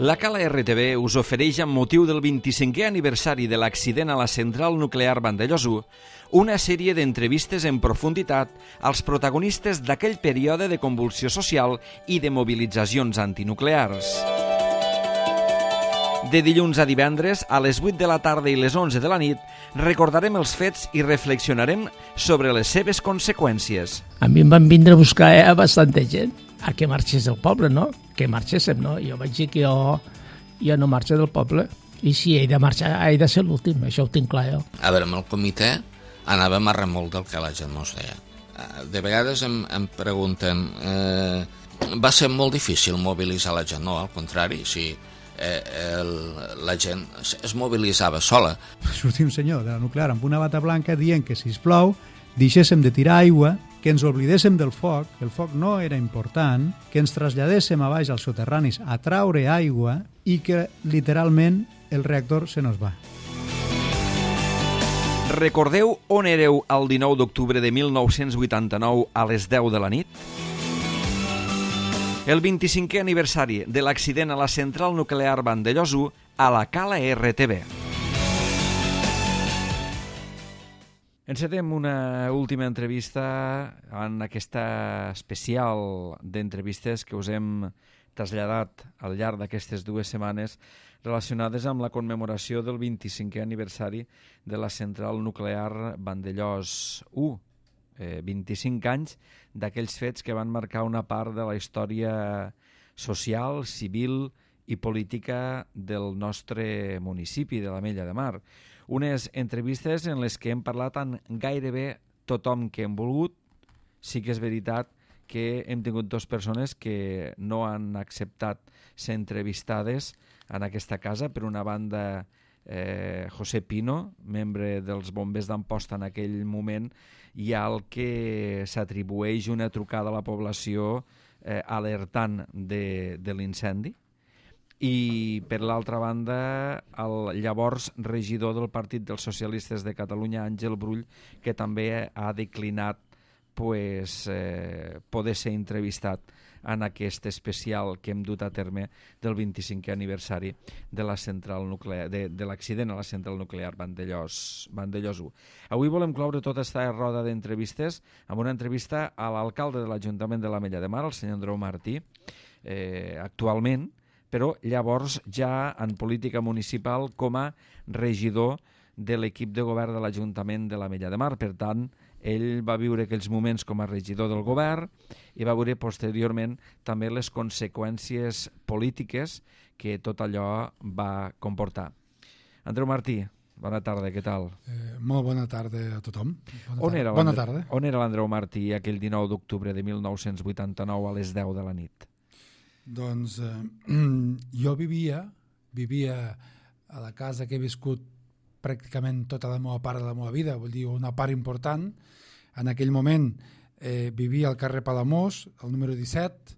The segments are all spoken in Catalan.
La Cala RTV us ofereix, amb motiu del 25è aniversari de l'accident a la central nuclear Vandellòs 1, una sèrie d'entrevistes en profunditat als protagonistes d'aquell període de convulsió social i de mobilitzacions antinuclears. De dilluns a divendres, a les 8 de la tarda i les 11 de la nit, recordarem els fets i reflexionarem sobre les seves conseqüències. A mi em van vindre a buscar bastanta gent a que marxés del poble, no? Que marxéssim, no? Jo vaig dir que jo no marxo del poble i si he de marxar he de ser l'últim, això ho tinc clar jo. A veure, amb el comitè anàvem a remolc del que la gent no es deia. De vegades em pregunten, va ser molt difícil mobilitzar la gent? No, al contrari, sí. La gent es mobilitzava sola. Sortia un senyor de la nuclear amb una bata blanca dient que, sisplau, deixéssim de tirar aigua, que ens oblidéssim del foc, que el foc no era important, que ens traslladéssim a baix als soterranis a traure aigua i que, literalment, el reactor se nos va. Recordeu on éreu el 19 d'octubre de 1989 a les 10 de la nit? El 25è aniversari de l'accident a la central nuclear Vandellòs 1 a la Cala RTV. Encetem una última entrevista en aquesta especial d'entrevistes que us hem traslladat al llarg d'aquestes 2 setmanes relacionades amb la commemoració del 25è aniversari de la central nuclear Vandellòs 1. 25 anys d'aquells fets que van marcar una part de la història social, civil i política del nostre municipi, de l'Ametlla de Mar. Unes entrevistes en les que hem parlat amb gairebé tothom que hem volgut. Sí que és veritat que hem tingut 2 persones que no han acceptat ser entrevistades en aquesta casa. Per una banda, José Pino, membre dels bombers d'Amposta en aquell moment, i al que s'atribueix una trucada a la població alertant de l'incendi. I per l'altra banda, el llavors regidor del Partit dels Socialistes de Catalunya, Àngel Brull, que també ha declinat poder ser entrevistat en aquest especial que hem dut a terme del 25è aniversari de la central nuclear, de l'accident a la central nuclear Vandellòs 1. Avui volem cloure tota aquesta roda d'entrevistes amb una entrevista a l'alcalde de l'Ajuntament de l'Ametlla de Mar, el senyor Andreu Martí, actualment, però llavors ja en política municipal com a regidor de l'equip de govern de l'Ajuntament de l'Ametlla de Mar. Per tant, ell va viure aquells moments com a regidor del govern i va veure posteriorment també les conseqüències polítiques que tot allò va comportar. Andreu Martí, bona tarda, què tal? Molt bona tarda a tothom. On era l'Andreu Martí aquell 19 d'octubre de 1989 a les 10 de la nit? Doncs jo vivia a la casa que he viscut pràcticament tota la meva part de la meva vida, vull dir, una part important. En aquell moment vivia al carrer Palamós, al número 17,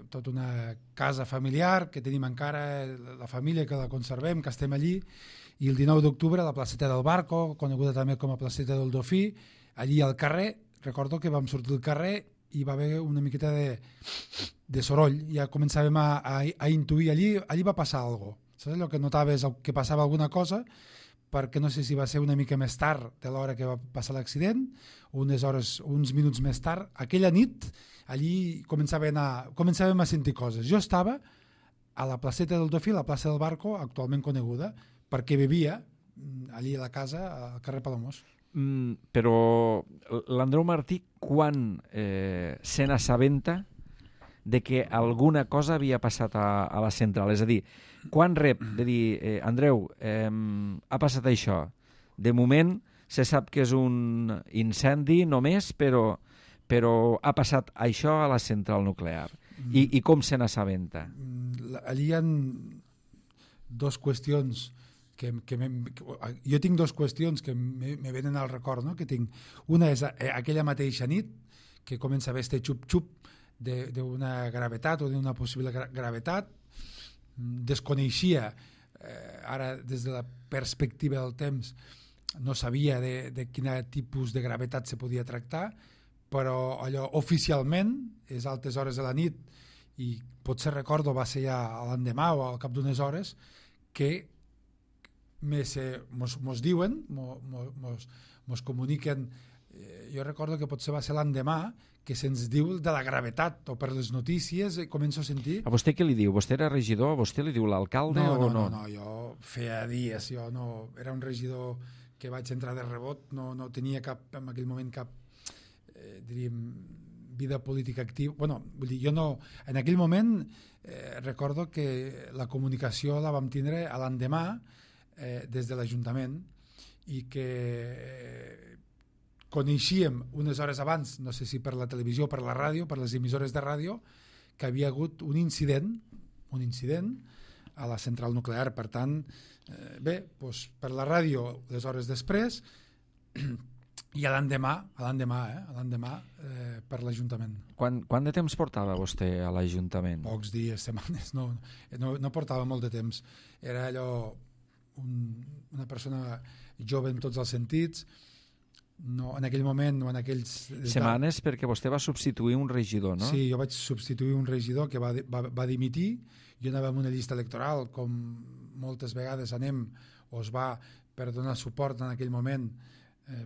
tota una casa familiar que tenim encara, la família que la conservem, que estem allí, i el 19 d'octubre a la placeta del Barco, coneguda també com a placeta del Dofí, allí al carrer, recordo que vam sortir del carrer i va haver una miqueta de soroll, ja començàvem a intuir, allí va passar alguna cosa. Saps allò que notaves que passava alguna cosa, perquè no sé si va ser una mica més tard de l'hora que va passar l'accident, uns minuts més tard. Aquella nit, allí començàvem a sentir coses. Jo estava a la placeta del Dofí, la plaça del Barco, actualment coneguda, perquè vivia allí a la casa, al carrer Palamós. Però l'Andreu Martí, quan se n'assabenta de que alguna cosa havia passat a la central? És a dir, quan rep de dir, Andreu, ha passat això? De moment se sap que és un incendi només, però ha passat això a la central nuclear. I com se n'assabenta? Allí hi ha 2 qüestions jo tinc 2 qüestions que me venen al record, no? Que tinc. Una és aquella mateixa nit que comença a haver este xup-xup d'una gravetat o d'una possible gravetat. Desconeixia, ara des de la perspectiva del temps no sabia de quin tipus de gravetat se podia tractar, però allò oficialment és altes hores de la nit i potser recordo va ser ja l'endemà o al cap d'unes hores que mos diuen, mos comuniquen, jo recordo que potser va ser l'endemà que se'ns diu de la gravetat, o per les notícies començo a sentir... A vostè què li diu? Vostè era regidor? A vostè li diu l'alcalde o no? No, jo feia dies, jo no... Era un regidor que vaig entrar de rebot, no tenia en aquell moment cap, diríem, vida política activa. Bueno, vull dir, jo no... En aquell moment recordo que la comunicació la vam tindre a l'endemà des de l'Ajuntament i que coneixíem unes hores abans, no sé si per la televisió o per la ràdio, per les emissores de ràdio, que havia hagut un incident a la central nuclear. Per tant, bé, doncs per la ràdio les hores després i a l'endemà per l'Ajuntament. Quant de temps portava vostè a l'Ajuntament? Pocs dies, setmanes, no portava molt de temps. Era allò una persona jove en tots els sentits. No, en aquell moment o en aquells... Setmanes perquè vostè va substituir un regidor, no? Sí, jo vaig substituir un regidor que va dimitir. Jo anava en una llista electoral, com moltes vegades anem, o es va per donar suport en aquell moment,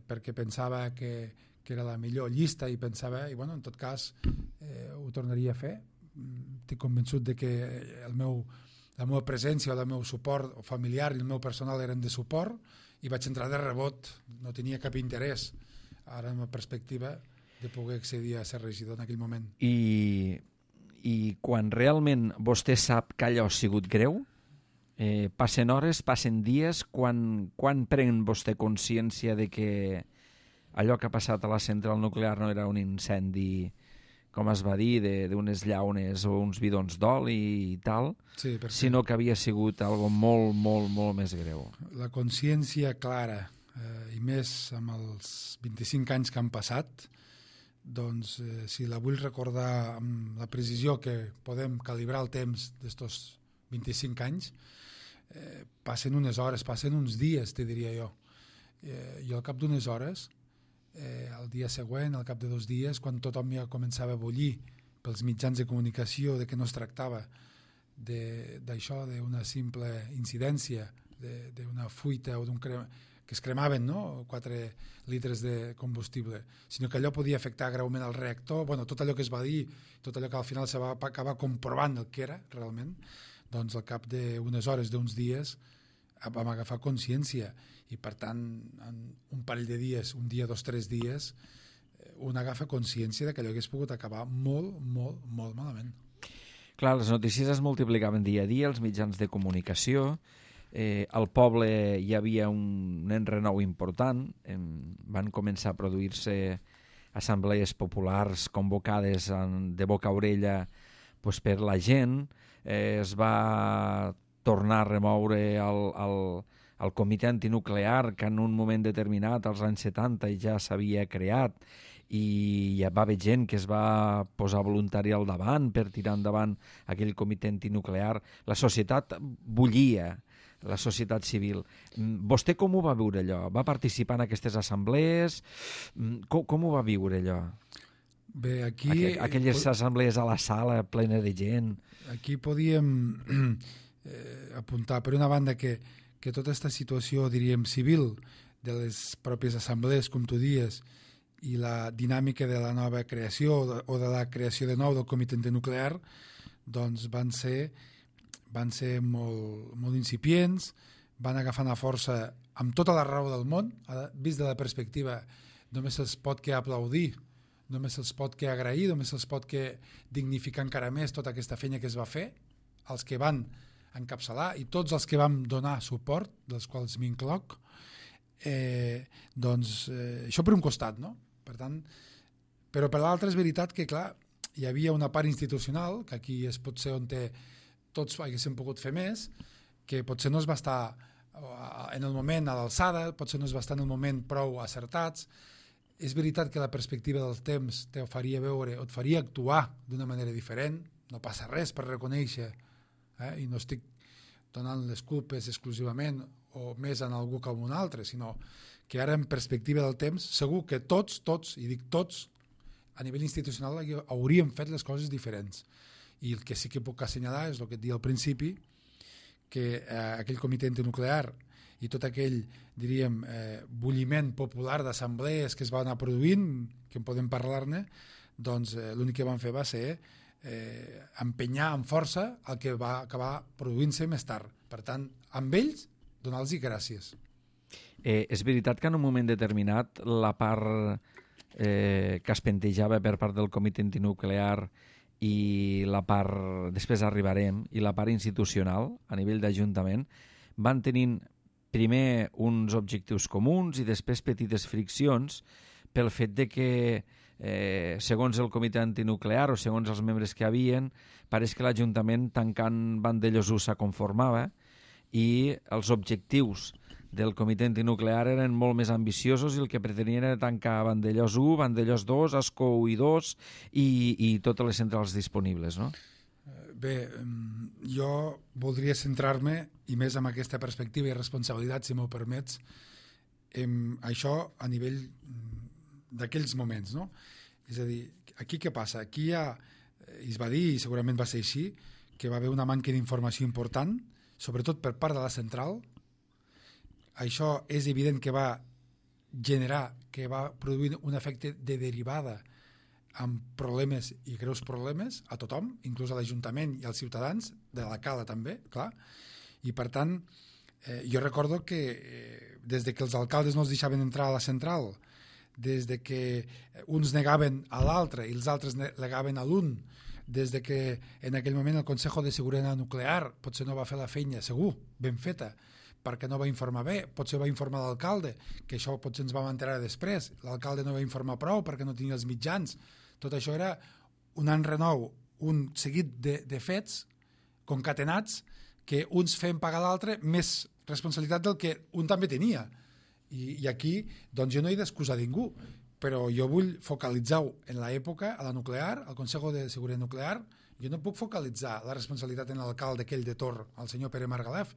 perquè pensava que era la millor llista i pensava, i bueno, en tot cas ho tornaria a fer. Estic convençut de que la meva presència o el meu suport familiar i el meu personal eren de suport, i vaig entrar de rebot, no tenia cap interès ara en la perspectiva de poder accedir a ser regidor en aquell moment. I quan realment vostè sap que allò ha sigut greu, passen hores, passen dies, quan pren vostè consciència de que allò que ha passat a la central nuclear no era un incendi, com es va dir, d'unes llaunes o uns bidons d'oli i tal, sí, sinó que havia sigut algo molt, molt, molt més greu. La consciència clara, i més amb els 25 anys que han passat, doncs si la vull recordar amb la precisió que podem calibrar el temps d'estos 25 anys, passen unes hores, passen uns dies, te diria jo. Jo al cap d'unes hores, el dia següent, al cap de 2 dies, quan tothom ja començava a bullir pels mitjans de comunicació de que no es tractava d'això, d'una simple incidència, d'una fuita o que es cremaven, no? 4 litres de combustible, sinó que allò podia afectar greument el reactor, bueno, tot allò que es va dir, tot allò que al final se va acabar comprovant el que era realment, doncs al cap d'unes hores, d'uns dies, vam agafar consciència i per tant en un parell de dies, un dia, 2, 3 dies, un agafa consciència de que allò hagués pogut acabar molt, molt, molt malament. Clar, les notícies es multiplicaven dia a dia, els mitjans de comunicació, al poble hi havia un enrenou important, van començar a produir-se assemblees populars convocades de boca a orella per la gent, es va tornar a remoure el comitè antinuclear que en un moment determinat, als anys 70, ja s'havia creat i hi va haver gent que es va posar voluntària al davant per tirar endavant aquell comitè antinuclear. La societat bullia, la societat civil. Vostè com ho va viure allò? Va participar en aquestes assemblees? Com ho va viure allò? Bé, aquí... Aquelles assemblees a la sala plena de gent. Aquí podíem apuntar, per una banda, que tota aquesta situació, diríem, civil de les pròpies assemblees, com tu dies, i la dinàmica de la nova creació o de la creació de nou del comitè antinuclear, doncs van ser molt incipients, van agafant a força amb tota la raó del món, vist de la perspectiva, només se'ls pot que aplaudir, només se'ls pot que agrair, només se'ls pot que dignificar encara més tota aquesta feina que es va fer, els que van encapçalar i tots els que vam donar suport, dels quals m'incloc, doncs això per un costat, no? Per tant, però per l'altre és veritat que, clar, hi havia una part institucional, que aquí és potser on tots haguéssim pogut fer més, que potser no es va estar en el moment a l'alçada, potser no es va estar en el moment prou acertats. És veritat que la perspectiva del temps te faria veure o et faria actuar d'una manera diferent, no passa res per reconèixer, i no estic donant les culpes exclusivament o més en algú que en un altre, sinó que ara en perspectiva del temps segur que tots, i dic tots, a nivell institucional hauríem fet les coses diferents. I el que sí que puc assenyalar és el que et deia al principi, que aquell comitè antinuclear i tot aquell, diríem, bulliment popular d'assemblees que es van anar produint, que en podem parlar-ne, doncs l'únic que van fer va ser empenyar amb força el que va acabar produint-se més tard. Per tant, amb ells, donar-los gràcies. És veritat que en un moment determinat la part que es pentejava per part del comitè antinuclear i la part, després arribarem, i la part institucional, a nivell d'Ajuntament, van tenint primer uns objectius comuns i després petites friccions pel fet de que, segons el comitè antinuclear o segons els membres que havien, pareix que l'Ajuntament tancant Vandellòs 1 s'aconformava i els objectius del comitè antinuclear eren molt més ambiciosos i el que pretenien era tancar Vandellòs 1, Vandellòs 2, Ascó 1 i 2 i totes les centrals disponibles, no? Bé, jo voldria centrar-me, i més amb aquesta perspectiva i responsabilitat, si m'ho permets, en això a nivell d'aquells moments, no? És a dir, aquí què passa? Aquí es va dir, i segurament va ser així, que va haver una manca d'informació important, sobretot per part de la central. Això és evident que va generar, que va produir un efecte de derivada amb problemes i greus problemes a tothom, inclús a l'Ajuntament i als ciutadans, de la Cala també, clar. I per tant, jo recordo que des de que els alcaldes no els deixaven entrar a la central, des de que uns negaven a l'altre i els altres negaven a l'un, des de que en aquell moment el Consejo de Seguretat Nuclear potser no va fer la feina, segur, ben feta, perquè no va informar bé, potser va informar l'alcalde, que això potser ens vam enterar després, l'alcalde no va informar prou perquè no tenia els mitjans. Tot això era un enrenou, un seguit de fets concatenats que uns feien pagar l'altre més responsabilitat del que un també tenia. I aquí, doncs jo no he d'excusar ningú, però jo vull focalitzar-ho en l'època, a la nuclear, al Consejo de Seguretat Nuclear. Jo no puc focalitzar la responsabilitat en l'alcalde aquell de Tor, el senyor Pere Margalef,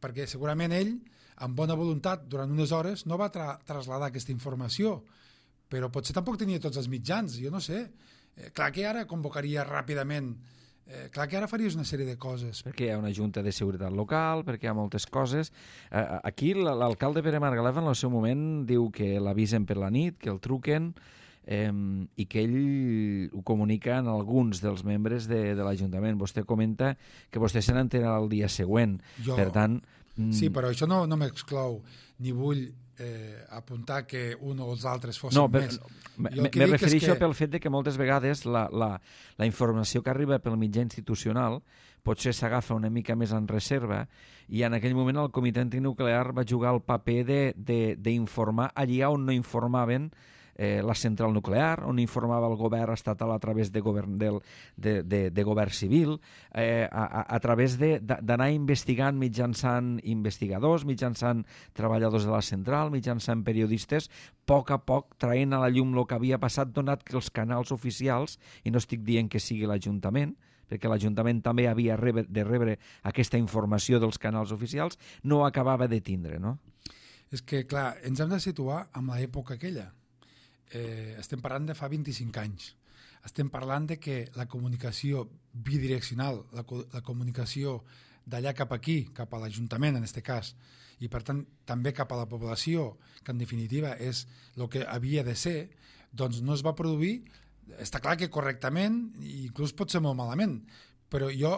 perquè segurament ell, amb bona voluntat, durant unes hores, no va traslladar aquesta informació, però potser tampoc tenia tots els mitjans, jo no sé. Clar que ara convocaria ràpidament, clar que ara faries una sèrie de coses. Perquè hi ha una junta de seguretat local, perquè hi ha moltes coses. Aquí l'alcalde Pere Margalef en el seu moment diu que l'avisen per la nit, que el truquen, i que ell ho comunica en alguns dels membres de l'Ajuntament. Vostè comenta que vostè se n'entera el dia següent. Per tant... Sí, però això no m'exclou, ni vull apuntar que un o els altres fossin més. Me refereixo pel fet de que moltes vegades la informació que arriba pel mitjà institucional potser s'agafa una mica més en reserva i en aquell moment el comitè antinuclear va jugar el paper d'informar allí on no informaven la central nuclear, on informava el govern estatal a través de govern civil, a través d'anar investigant mitjançant investigadors, mitjançant treballadors de la central, mitjançant periodistes, a poc traient a la llum el que havia passat, donat que els canals oficials, i no estic dient que sigui l'Ajuntament, perquè l'Ajuntament també havia de rebre aquesta informació dels canals oficials, no acabava de tindre, no? És que, clar, ens hem de situar en l'època aquella. Estem parlant de fa 25 anys. Estem parlant de que la comunicació bidireccional, la comunicació d'allà cap aquí, cap a l'Ajuntament en aquest cas, i per tant també cap a la població, que en definitiva és el que havia de ser, doncs no es va produir. Està clar que correctament, i inclús pot ser molt malament, però jo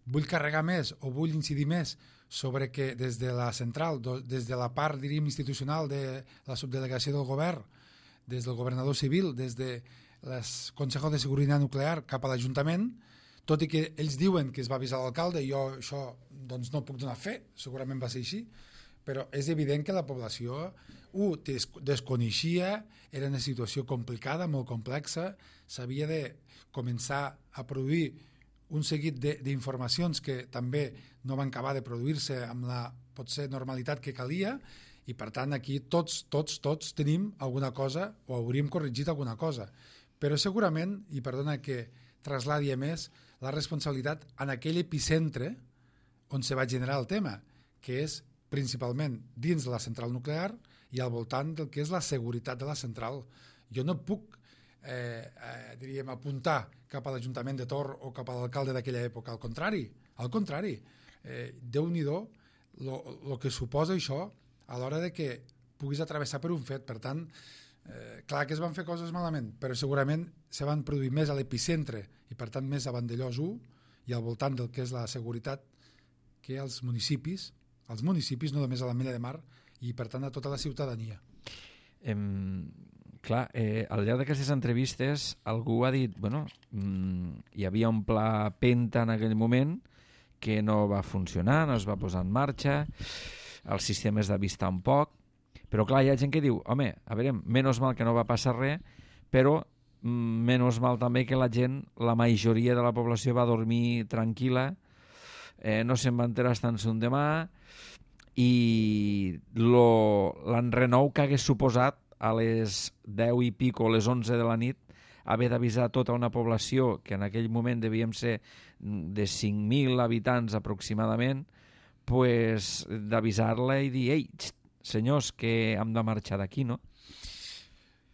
vull carregar més o vull incidir més sobre que des de la central, des de la part, diríem, institucional de la subdelegació del govern, des del governador civil, des del Consejo de Seguretat Nuclear cap a l'Ajuntament, tot i que ells diuen que es va avisar l'alcalde, jo això doncs no puc donar fe, segurament va ser així, però és evident que la població desconeixia, era una situació complicada, molt complexa, s'havia de començar a produir un seguit d'informacions que també no van acabar de produir-se amb la potser normalitat que calia, i per tant aquí tots tenim alguna cosa o hauríem corregit alguna cosa, però segurament, i perdona que trasladi a més, la responsabilitat en aquell epicentre on se va generar el tema, que és principalment dins de la central nuclear i al voltant del que és la seguretat de la central. Jo no puc diríem, apuntar cap a l'Ajuntament de Tor o cap a l'alcalde d'aquella època. Al contrari. Déu-n'hi-do el que suposa això a l'hora de que puguis atravessar per un fet. Per tant, clar que es van fer coses malament, però segurament se van produir més a l'epicentre i per tant més a Vandellòs 1 i al voltant del que és la seguretat que als municipis, no només a la Mella de Mar, i per tant a tota la ciutadania. Clar, al llarg d'aquestes entrevistes algú ha dit, hi havia un pla Penta en aquell moment que no va funcionar, no es va posar en marxa, el sistema es d'avist tampoc, però clar, hi ha gent que diu, home, a veure, menys mal que no va passar res, però menys mal també que la gent, la majoria de la població va dormir tranquil·la, no se'n va enterar tant un demà, i l'enrenou que hagués suposat a les 10 i pico, a les 11 de la nit, haver d'avisar tota una població que en aquell moment devíem ser de 5.000 habitants aproximadament, pues, d'avisar-la i dir, ei, senyors, que hem de marxar d'aquí, no?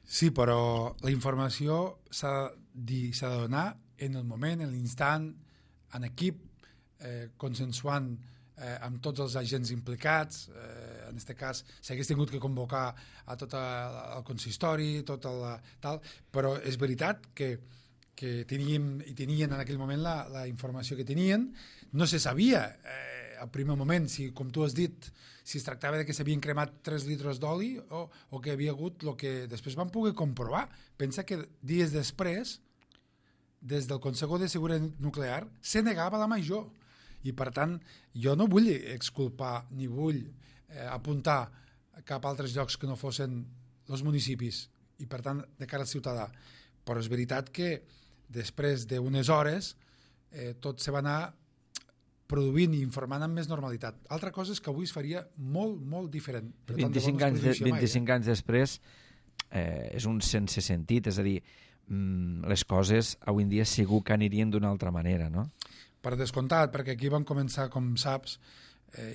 Sí, però la informació s'ha de donar en el moment, en l'instant, en equip, consensuant amb tots els agents implicats. En aquest cas s'hagués tingut que convocar a tot el consistori, tal, però és veritat que tenien en aquell moment la informació que tenien. No se sabia al primer moment, com tu has dit, si es tractava de que s'havien cremat 3 litres d'oli o que havia hagut el que després van poder comprovar. Pensa que dies després, des del Consejo de Seguretat Nuclear, se negava la major. I, per tant, jo no vull exculpar ni vull apuntar cap a altres llocs que no fossin els municipis i, per tant, de cara al ciutadà. Però és veritat que després d'unes hores tot se va anar produint i informant amb més normalitat. Altra cosa és que avui es faria molt, molt diferent. 25 anys després és un sense sentit, és a dir, les coses avui en dia segur que anirien d'una altra manera, no? Per descomptat, perquè aquí van començar, com saps,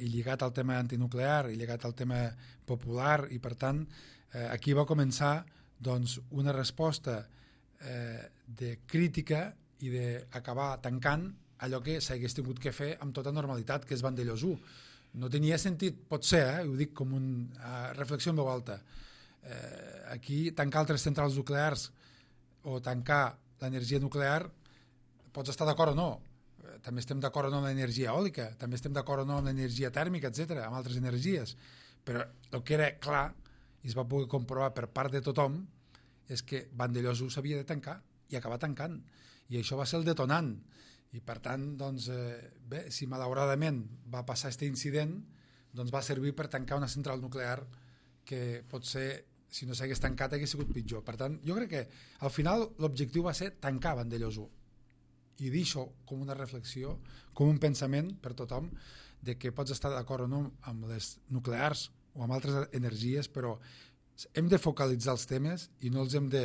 i lligat al tema antinuclear, i lligat al tema popular, i per tant, aquí va començar doncs, una resposta de crítica i d'acabar tancant allò que s'hagués tingut que fer amb tota normalitat, que és Vandellòs 1. No tenia sentit, pot ser, ho dic com una reflexió en veu alta, aquí tancar altres centrals nuclears o tancar l'energia nuclear, pots estar d'acord o no, també estem d'acord o no amb l'energia eòlica, també estem d'acord o no amb l'energia tèrmica, etc., amb altres energies, però el que era clar i es va poder comprovar per part de tothom és que Vandellòs 1 s'havia de tancar i acabar tancant, i això va ser el detonant. I per tant, doncs, bé, si malauradament va passar aquest incident, doncs va servir per tancar una central nuclear que potser, si no s'hagués tancat, hagués sigut pitjor. Per tant, jo crec que al final l'objectiu va ser tancar Vandellòs 1 i dir això com una reflexió, com un pensament per tothom, de que pots estar d'acord o no amb les nuclears o amb altres energies, però hem de focalitzar els temes i no els hem de,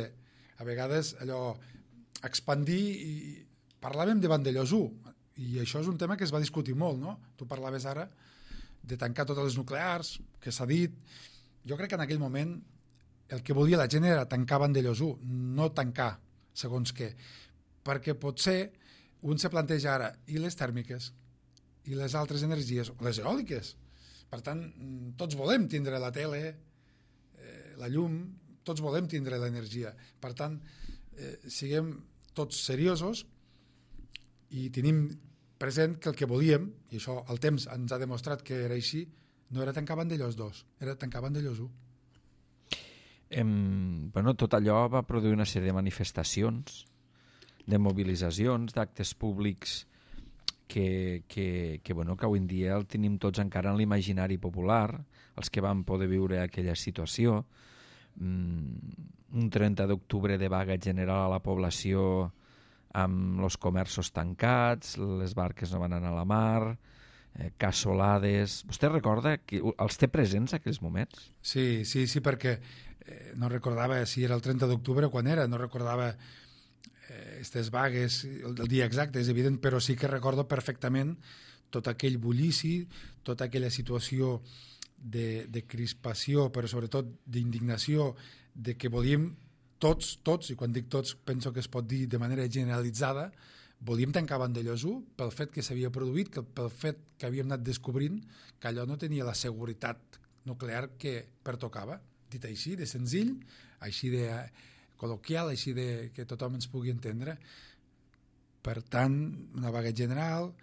a vegades, allò, expandir. I parlàvem de Vandellòs 1 i això és un tema que es va discutir molt, no? Tu parlaves ara de tancar totes les nuclears, que s'ha dit. Jo crec que en aquell moment el que volia la gent era tancar Vandellòs 1, no tancar segons què, perquè potser un se planteja ara i les tèrmiques i les altres energies, les eòliques. Per tant, tots volem tindre la tele, la llum, tots volem tindre l'energia. Per tant, siguem tots seriosos i tenim present que el que volíem, i això el temps ens ha demostrat que era així, no era tancar Vandellòs 2, era tancar Vandellòs 1. Tot allò va produir una sèrie de manifestacions, de mobilitzacions, d'actes públics que avui en dia el tenim tots encara en l'imaginari popular, els que van poder viure aquella situació. Un 30 d'octubre de vaga general a la població amb els comerços tancats, les barques no van anar a la mar, cassolades. Vostè recorda que els té presents aquells moments? Sí, perquè no recordava si era el 30 d'octubre o quan era, no recordava aquestes vagues, el dia exacte, és evident, però sí que recordo perfectament tot aquell bullici, tota aquella situació de crispació, però sobretot d'indignació, de que volíem tots, i quan dic tots penso que es pot dir de manera generalitzada, volíem tancar Vandellòs 1 pel fet que s'havia produït, pel fet que havíem anat descobrint que allò no tenia la seguretat nuclear que pertocava, dit així, de senzill, així de col·loquial, així de que tothom ens pugui entendre. Per tant, una vaga general,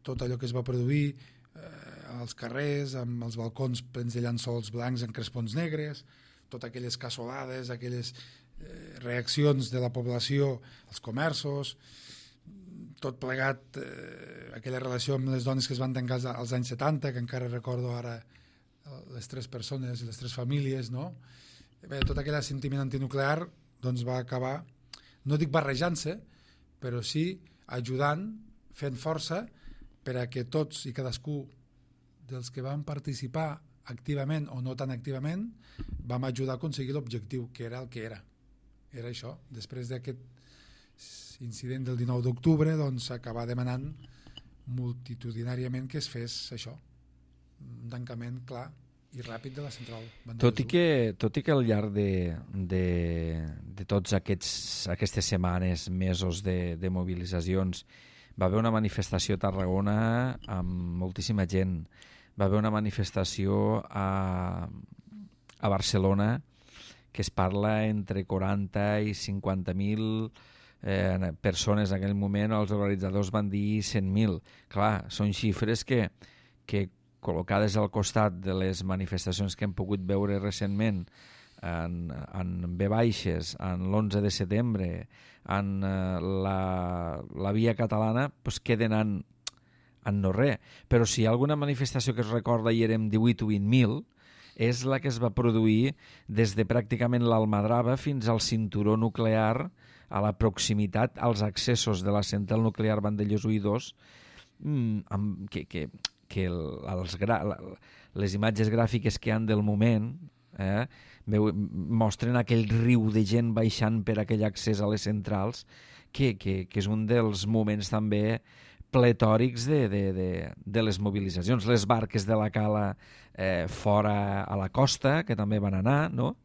tot allò que es va produir als carrers, amb els balcons plens de llençols blancs en crespons negres, totes aquelles cassolades, aquelles reaccions de la població als comerços, tot plegat, aquella relació amb les dones que es van tancar als anys 70, que encara recordo ara les 3 persones i les 3 famílies, no? Bé, tot aquell sentiment antinuclear doncs va acabar, no dic barrejant-se, però sí ajudant, fent força per a que tots i cadascú dels que van participar activament o no tan activament vam ajudar a aconseguir l'objectiu, que era el que era. Era això. Després d'aquest incident del 19 d'octubre, doncs s'acabà demanant multitudinàriament que es fes això, un tancament clar i ràpid de la central. Tot i que al llarg de tots aquestes setmanes, mesos de mobilitzacions, va haver una manifestació a Tarragona amb moltíssima gent, va haver una manifestació a Barcelona que es parla entre 40 i 50.000 persones en aquell moment. Els organitzadors van dir 100.000. Clar, són xifres que col·locades al costat de les manifestacions que hem pogut veure recentment en V-baixes, en l'11 de setembre, en la Via Catalana, doncs queden en no res. Però si hi ha alguna manifestació que es recorda i érem 18 o 20.000, és la que es va produir des de pràcticament l'Almadrava fins al cinturó nuclear, a la proximitat, als accessos de la central nuclear Vandellòs 1 i 2, les imatges gràfiques que hi ha del moment mostren aquell riu de gent baixant per aquell accés a les centrals, que és un dels moments també pletòrics de les mobilitzacions. Les barques de la cala fora a la costa, que també van anar, no?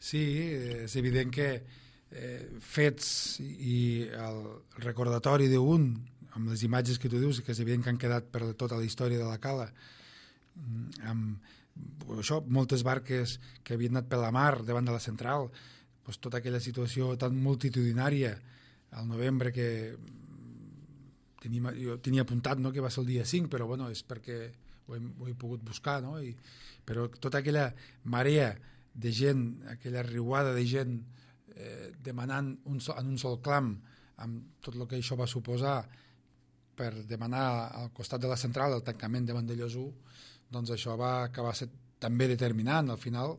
Sí, és evident que fets i el recordatori d'un, amb les imatges que tu dius, que és evident que han quedat per tota la història de la cala, amb això, moltes barques que havien anat per la mar davant de la central, doncs tota aquella situació tan multitudinària al novembre que jo tenia apuntat, no, que va ser el dia 5, però bueno, és perquè ho he pogut buscar, no? Però tota aquella marea de gent, aquella riuada de gent demanant en un sol clam, amb tot el que això va suposar per demanar al costat de la central el tancament de Vandellòs 1, doncs això va acabar sent també determinant. Al final,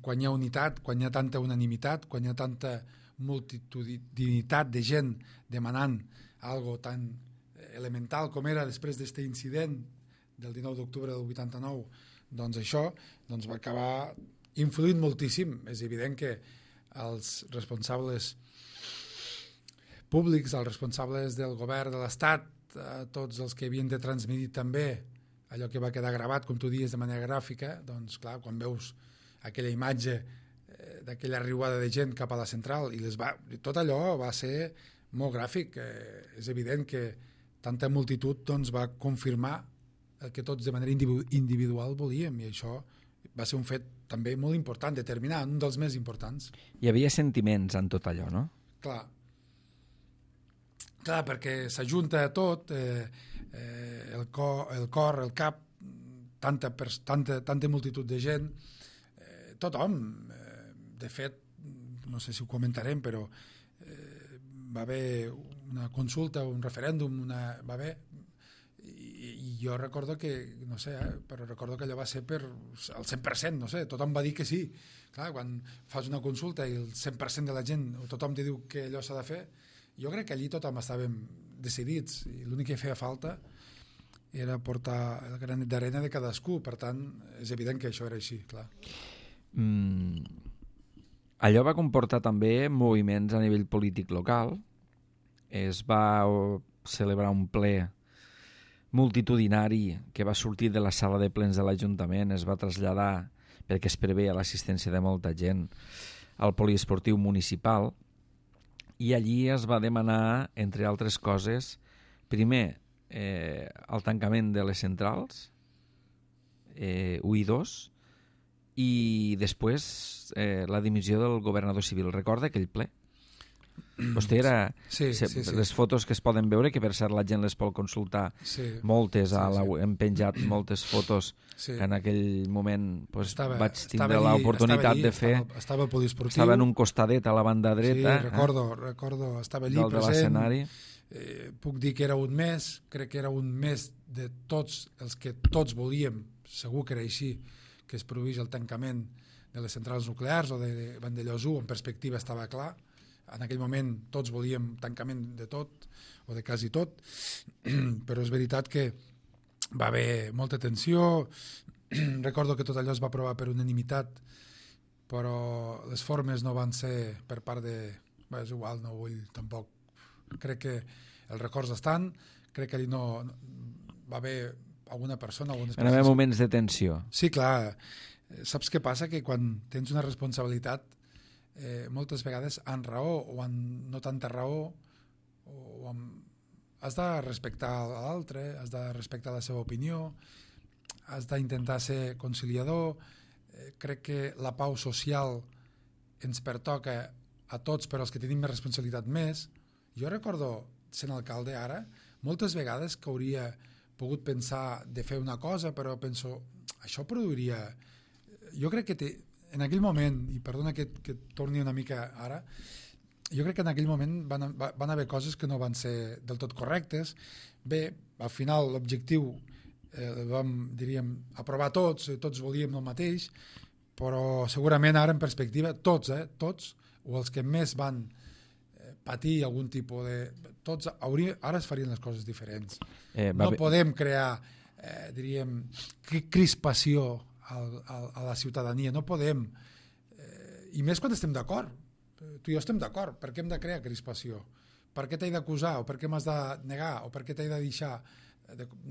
quan hi ha unitat, quan hi ha tanta unanimitat, quan hi ha tanta multitudinitat de gent demanant algo tan elemental com era després d'aquest incident del 19 d'octubre del 89, doncs això va acabar influint moltíssim. És evident que els responsables públics, els responsables del govern de l'Estat, tots els que havien de transmetre també allò que va quedar gravat, com tu dius, de manera gràfica, doncs clar, quan veus aquella imatge d'aquella riuada de gent cap a la central i tot allò va ser molt gràfic. És evident que tanta multitud doncs, va confirmar el que tots de manera individual volíem, i això va ser un fet també molt important, determinant, un dels més importants. Hi havia sentiments en tot allò, no? Clar, perquè s'ajunta tot, el cor, el cap, tanta multitud de gent, tothom. De fet, no sé si ho comentarem, però va haver una consulta, un referèndum, va haver, i jo recordo que, no sé, però recordo que allò va ser per el 100%, no sé, tothom va dir que sí. Clar, quan fas una consulta i el 100% de la gent, tothom te diu que allò s'ha de fer, jo crec que allí tothom estàvem decidits, i l'únic que feia falta era portar el granet d'arena de cadascú. Per tant, és evident que això era així, clar. Allò va comportar també moviments a nivell polític local. Es va celebrar un ple multitudinari que va sortir de la sala de plens de l'Ajuntament, es va traslladar perquè es preveia l'assistència de molta gent al poliesportiu municipal, i allí es va demanar, entre altres coses, primer el tancament de les centrals 1 i 2, i després la dimissió del governador civil. Recorda aquell ple? Vostè era... Sí. Les fotos que es poden veure, que per cert la gent les pot consultar, moltes, hem penjat moltes fotos que en aquell moment vaig tindre l'oportunitat de fer. Estava al poliesportiu. Estava en un costadet a la banda dreta. Sí, recordo, estava allí present. De l'escenari. Puc dir que era un mes, crec que era un mes de tots els que tots volíem, segur que era així, que es produís el tancament de les centrals nuclears o de Vandellòs 1, en perspectiva estava clar. En aquell moment tots volíem tancament de tot, o de quasi tot, però és veritat que va haver molta tensió. Recordo que tot allò es va aprovar per unanimitat, però les formes no van ser per part de... Bé, és igual, no vull tampoc... Crec que els records estan, crec que allí no va haver alguna persona... Van haver moments de tensió. Sí, clar. Saps què passa? Que quan tens una responsabilitat moltes vegades amb raó o amb no tanta raó has de respectar l'altre, has de respectar la seva opinió, has d'intentar ser conciliador. Crec que la pau social ens pertoca a tots, però els que tenim més responsabilitat més. Jo recordo, sent alcalde ara, moltes vegades que hauria pogut pensar de fer una cosa, però penso, això produiria... Jo crec que en aquell moment, i perdona que torni una mica ara, jo crec que en aquell moment van haver coses que no van ser del tot correctes. Bé, al final l'objectiu el vam, diríem, aprovar tots volíem el mateix, però segurament ara en perspectiva tots, o els que més van patir algun tipus de... Tots ara es farien les coses diferents. No podem crear, diríem, crispació a la ciutadania, no podem, i més quan estem d'acord. Tu i jo estem d'acord, per què hem de crear crispació? Per què t'he d'acusar, o per què m'has de negar, o per què t'he de deixar...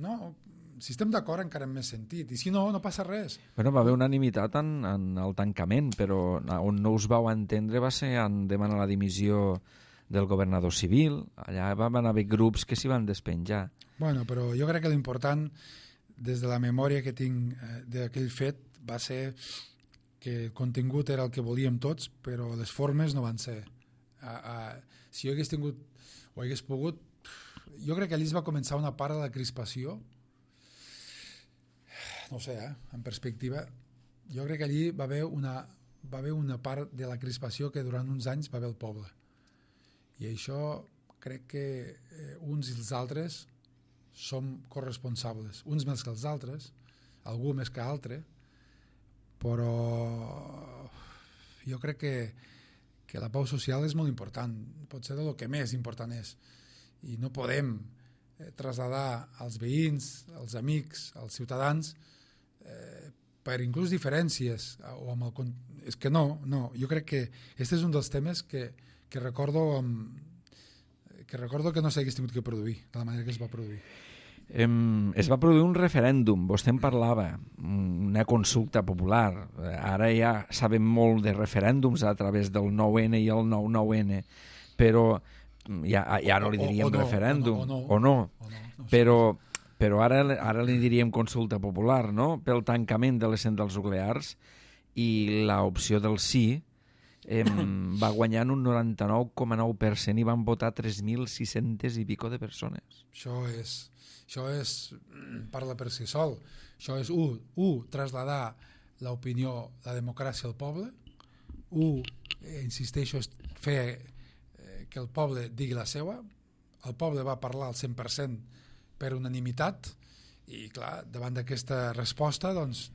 No, si estem d'acord encara en més sentit, i si no, no passa res. Bueno, va haver unanimitat en el tancament, però on no us vau entendre va ser en demanar la dimissió del governador civil. Allà van haver grups que s'hi van despenjar. Bueno, però jo crec que l'important, des de la memòria que tinc d'aquell fet, va ser que el contingut era el que volíem tots, però les formes no van ser. Si jo hagués tingut o hagués pogut, jo crec que allí es va començar una part de la crispació, no sé, en perspectiva, jo crec que allí va haver una part de la crispació que durant uns anys va haver el poble. I això crec que uns i els altres som corresponsables, uns més que els altres, algú més que altre, però jo crec que la pau social és molt important, pot ser el que més important és, i no podem traslladar als veïns, als amics, als ciutadans, per inclús diferències, o amb el... És que no, jo crec que aquest és un dels temes que recordo que no s'hagués tingut que produir, de la manera que es va produir. Es va produir un referèndum, vostè en parlava, una consulta popular. Ara ja sabem molt de referèndums a través del 9N i el 9-9N, però ja no li diríem referèndum, o no, però ara li diríem consulta popular, no?, pel tancament de les centrals nuclears, i l'opció del sí va guanyar en un 99,9% i van votar 3.600 i pico de persones. Això parla per si sol. Això és, traslladar l'opinió, la democràcia al poble. Insisteixo, és fer que el poble digui la seva. El poble va parlar al 100% per unanimitat i, clar, davant d'aquesta resposta, doncs,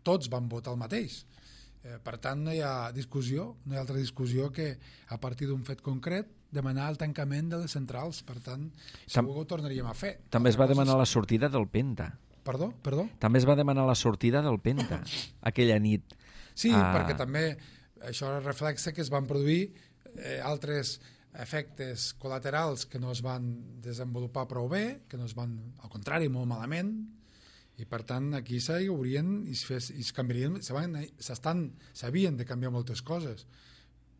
tots van votar el mateix. Per tant, no hi ha discussió, no hi ha altra discussió que a partir d'un fet concret demanar el tancament de les centrals. Per tant, segur que ho tornaríem a fer. També es va demanar la sortida del Penta. Perdó? També es va demanar la sortida del Penta aquella nit. Sí, perquè també això reflexa que es van produir altres efectes col·laterals que no es van desenvolupar prou bé, que no es van, al contrari, molt malament, I per tant aquí s'haurien i es canviarien, s'havien de canviar moltes coses,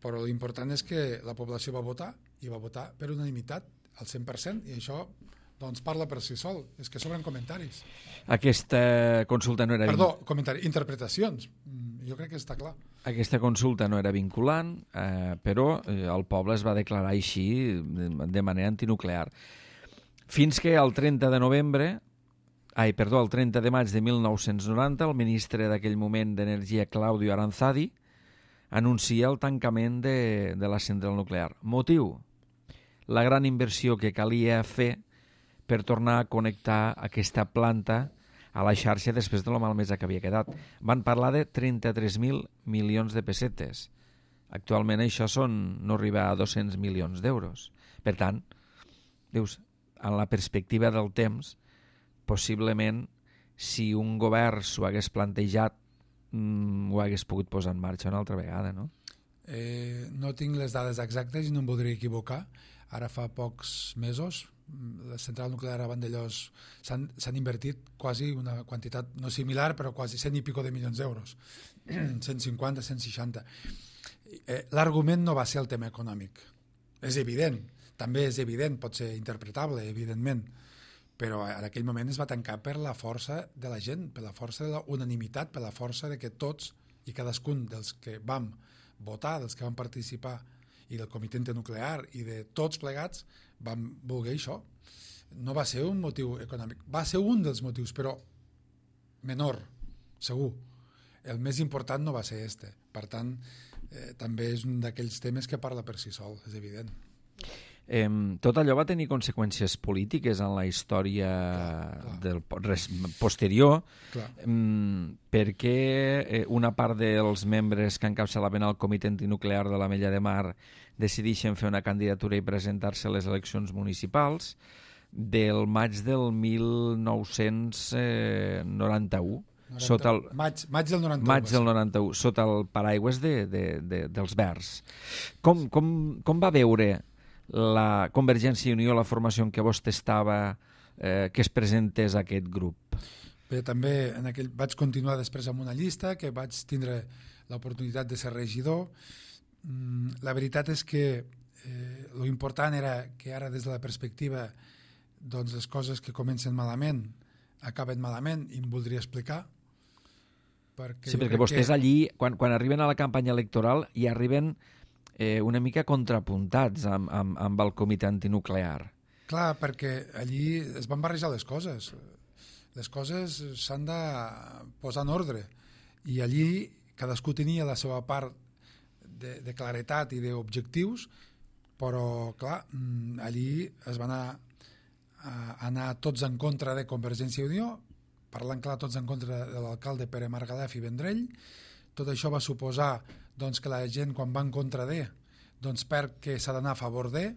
però l'important és que la població va votar i va votar per unanimitat al 100%, i això doncs parla per si sol, és que sobren comentaris. Aquesta consulta no era... Interpretacions, jo crec que està clar. Aquesta consulta no era vinculant, però el poble es va declarar així de manera antinuclear. Fins que el 30 de maig de 1990, el ministre d'aquell moment d'Energia, Claudio Aranzadi, anuncia el tancament de la central nuclear. Motiu? La gran inversió que calia fer per tornar a connectar aquesta planta a la xarxa després de la malmesa que havia quedat. Van parlar de 33.000 milions de pessetes. Actualment això no arriba a 200 milions d'euros. Per tant, dius, en la perspectiva del temps, possiblement, si un govern s'ho hagués plantejat, ho hagués pogut posar en marxa una altra vegada, no? No tinc les dades exactes i no em voldria equivocar. Ara fa pocs mesos, la central nuclear a Vandellòs s'han invertit quasi una quantitat no similar, però quasi 100 i pico de milions d'euros. 150, 160. L'argument no va ser el tema econòmic. És evident, també és evident, pot ser interpretable, evidentment, però en aquell moment es va tancar per la força de la gent, per la força de la unanimitat, per la força de que tots i cadascun dels que vam votar, dels que vam participar, i del comitè internuclear i de tots plegats vam voler això. No va ser un motiu econòmic, va ser un dels motius, però menor, segur. El més important no va ser este. Per tant, també és un d'aquells temes que parla per si sol, és evident. Tot allò va tenir conseqüències polítiques en la història posterior, perquè una part dels membres que encapçalaven el comitè antinuclear de l'Ametlla de Mar decideixen fer una candidatura i presentar-se a les eleccions municipals del maig del 1991. Maig del 91. Maig del 91, sota el paraigües dels Verds. Com va veure la Convergència i Unió, la formació en què vostè estava, que es presentés aquest grup? Bé, també vaig continuar després amb una llista, que vaig tindre l'oportunitat de ser regidor. La veritat és que lo important era que ara, des de la perspectiva, doncs les coses que comencen malament acaben malament, i em voldria explicar. Perquè vostès allí, quan arriben a la campanya electoral, hi arriben una mica contrapuntats amb el comitè antinuclear. Clar, perquè allí es van barrejar les coses. Les coses s'han de posar en ordre. I allí cadascú tenia la seva part de claretat i d'objectius, però, clar, allí es van anar tots en contra de Convergència i Unió, parlant clar, tots en contra de l'alcalde Pere Margalef i Vendrell. Tot això va suposar doncs, que la gent, quan va en contra de, doncs perd que s'ha d'anar a favor de.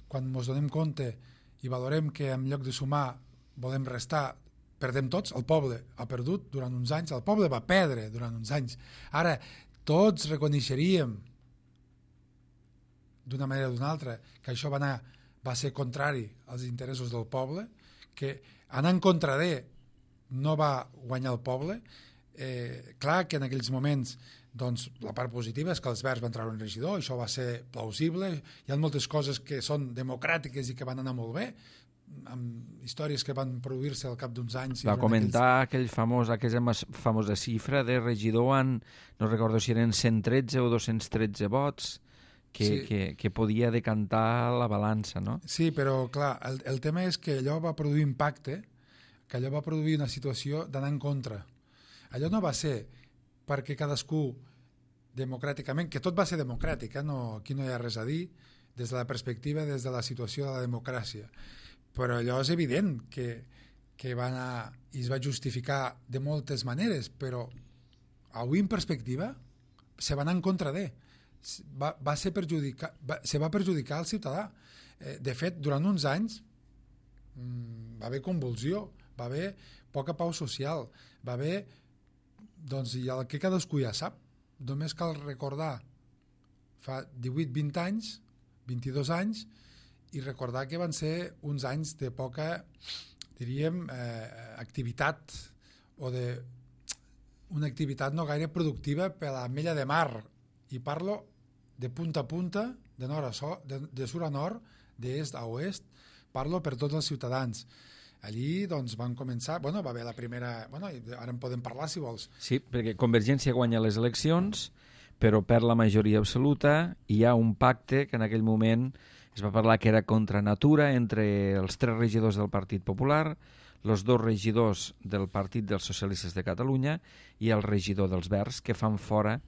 Quan ens donem compte i valorem que en lloc de sumar volem restar, perdem tots. El poble ha perdut durant uns anys, el poble va perdre durant uns anys. Ara, tots reconeixeríem d'una manera o d'una altra que això va ser contrari als interessos del poble, que anar en contra de no va guanyar el poble. Clar que en aquells moments doncs, la part positiva és que els Verds van treure un regidor, això va ser plausible, hi ha moltes coses que són democràtiques i que van anar molt bé, amb històries que van produir-se al cap d'uns anys. Va comentar aquella famosa xifra de regidor no recordo si eren 113 o 213 vots, que podia decantar la balança, no? Sí, però clar, el tema és que allò va produir impacte, que allò va produir una situació d'anar en contra. Allò no va ser perquè cadascú democràticament, que tot va ser democràtic, aquí no hi ha res a dir, des de la perspectiva, des de la situació de la democràcia. Però allò és evident que va anar i es va justificar de moltes maneres, però avui en perspectiva se va anar en contra de. Se va perjudicar el ciutadà. De fet, durant uns anys va haver convulsió, va haver poca pau social, va haver, doncs, i el que cadascú ja sap, només cal recordar fa 18-20 anys, 22 anys, i recordar que van ser uns anys de poca, diríem, activitat o d'una activitat no gaire productiva per a l'Ametlla de Mar, i parlo de punta a punta, de nord a de sud a nord, d'est a oest, parlo per tots els ciutadans. Allí doncs, van començar, va haver la primera, ara en podem parlar si vols. Sí, perquè Convergència guanya les eleccions, però perd la majoria absoluta, i hi ha un pacte que en aquell moment es va parlar que era contra natura entre els 3 regidors del Partit Popular, els 2 regidors del Partit dels Socialistes de Catalunya i el regidor dels Verds, que fan fora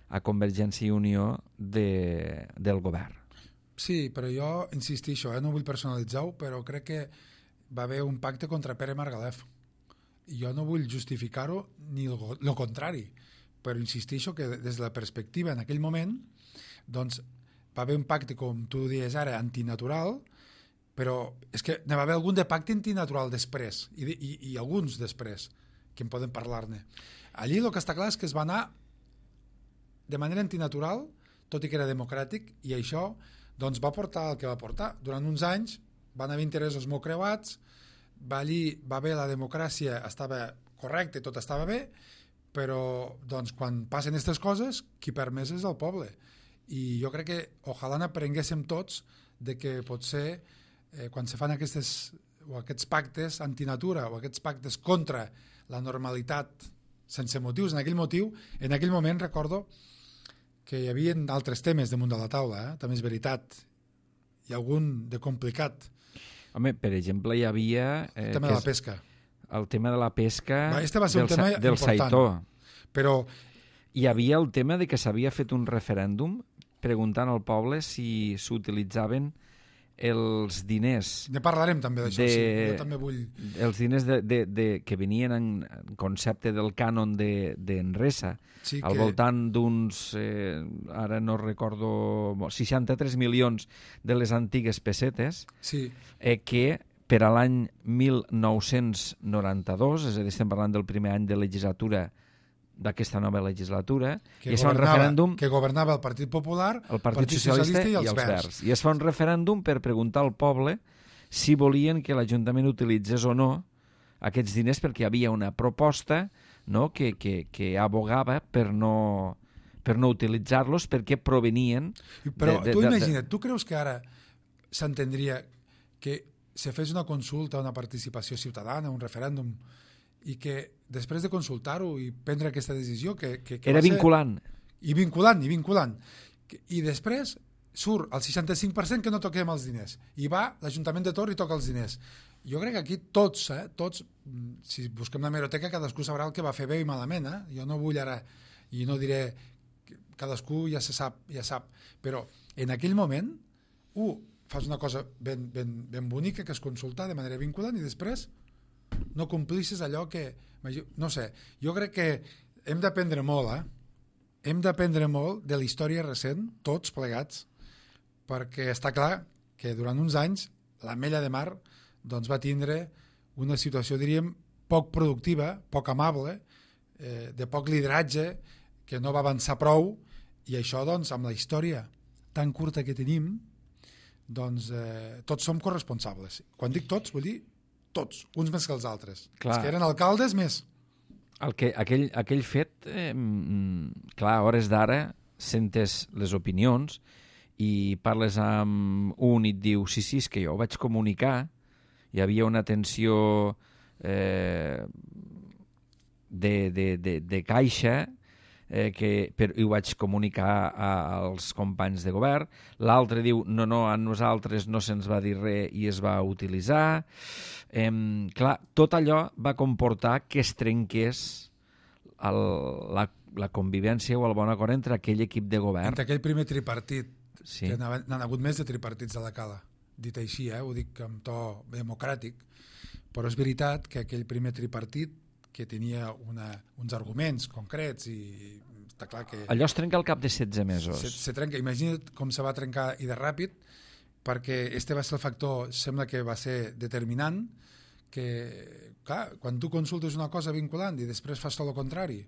a Convergència i Unió del govern. Sí, però jo insistixo, no vull personalitzar-ho, però crec que va haver un pacte contra Pere Margalef. I jo no vull justificar-ho ni el contrari, però insistixo que des de la perspectiva en aquell moment doncs, va haver un pacte, com tu dius ara, antinatural, però és que n'hi va haver algun de pacte antinatural després, i alguns després, que en podem parlar-ne. Allí el que està clar és que es va anar de manera antinatural, tot i que era democràtic, i això doncs, va portar el que va portar. Durant uns anys van haver interessos molt creuats, va haver la democràcia, estava correcte, tot estava bé, però doncs, quan passen aquestes coses, qui perd més és el poble. I jo crec que ojalà n'aprenguéssim tots de que potser quan se fan aquests pactes antinatura o aquests pactes contra la normalitat sense motius, en aquell moment recordo que hi havia altres temes damunt de la taula, també és veritat, hi ha algun de complicat. Home, per exemple, hi havia... el tema de la pesca. El tema de la pesca va ser un tema del Saitó. Però hi havia el tema de que s'havia fet un referèndum preguntant al poble si s'utilitzaven els diners... Ne parlarem també d'això, sí. Jo també vull... Els diners que venien en concepte del cànon d'Enresa, sí, al voltant d'uns, ara no recordo, 63 milions de les antigues pessetes, sí. Que per a l'any 1992, és a dir, estem parlant del primer any de legislatura d'aquesta nova legislatura, que governava el Partit Popular, el Partit Socialista i els Verds. I es fa un referèndum per preguntar al poble si volien que l'Ajuntament utilitzés o no aquests diners, perquè hi havia una proposta, no, que abogava per no utilitzar-los perquè provenien... Però tu imagina't, tu creus que ara s'entendria que se fes una consulta, una participació ciutadana, un referèndum, i que després de consultar-ho i prendre aquesta decisió que era vinculant. I vinculant. I després surt el 65% que no toquem els diners. I va l'Ajuntament de Tor i toca els diners. Jo crec que aquí tots, si busquem la hemeroteca, cadascú sabrà el que va fer bé i malament. Jo no vull ara, i no diré, cadascú ja sap. Però en aquell moment, fas una cosa ben bonica, que és consultar de manera vinculant, i després no complissis allò que... No sé, jo crec que hem d'aprendre molt, Hem d'aprendre molt de la història recent, tots plegats, perquè està clar que durant uns anys l'Ametlla de Mar doncs, va tindre una situació, diríem, poc productiva, poc amable, de poc lideratge, que no va avançar prou, i això, doncs, amb la història tan curta que tenim, doncs tots som corresponsables. Quan dic tots, vull dir tots, uns més que els altres. Clar. Els que eren alcaldes, més. Aquell fet, clar, a hores d'ara sentes les opinions i parles amb un i et diu sí, és que jo ho vaig comunicar, hi havia una tensió de caixa i ho vaig comunicar als companys de govern. L'altre diu no, a nosaltres no se'ns va dir res i es va utilitzar. Clar, tot allò va comportar que es trenqués la convivència o el bon acord entre aquell equip de govern. Entre aquell primer tripartit, sí. Que n'han hagut més de tripartits a la cala, dit així, ho dic amb to democràtic, però és veritat que aquell primer tripartit que tenia uns arguments concrets i està clar que... Allò es trenca al cap de 16 mesos. Se trenca, imagina't com se va trencar i de ràpid, perquè este va ser el factor, sembla que va ser determinant, que, clar, quan tu consultes una cosa vinculant i després fas tot el contrari,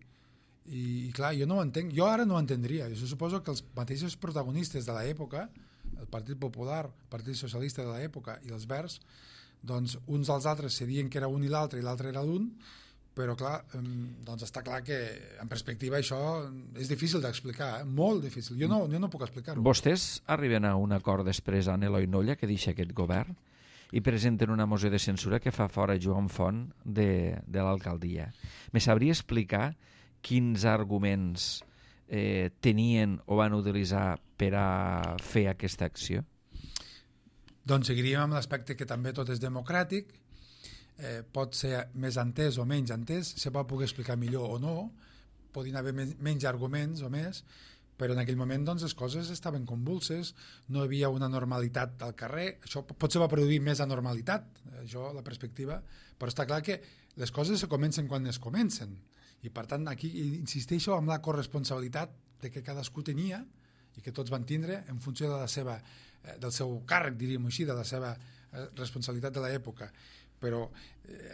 i clar, jo no ho entenc, jo ara no ho entendria, jo suposo que els mateixos protagonistes de l'època, el Partit Popular, el Partit Socialista de l'època i els Verds, doncs uns als altres se diuen que era un i l'altre era l'un, però clar, doncs està clar que en perspectiva això és difícil d'explicar, molt difícil. Jo no puc explicar-ho. Vostès arriben a un acord després amb Eloi Nolla, que deixa aquest govern, i presenten una moció de censura que fa fora Joan Font de l'alcaldia. Me sabria explicar quins arguments tenien o van utilitzar per a fer aquesta acció? Doncs seguiríem amb l'aspecte que també tot és democràtic, pot ser més entès o menys entès, se pot poder explicar millor o no, podien haver menys arguments o més, però en aquell moment doncs, les coses estaven convulses, no hi havia una normalitat al carrer, això potser va produir més anormalitat, això la perspectiva, però està clar que les coses se comencen quan es comencen, i per tant aquí insisteixo amb la corresponsabilitat de que cadascú tenia i que tots van tindre en funció de del seu càrrec, diríem així, de la seva responsabilitat de l'època. Però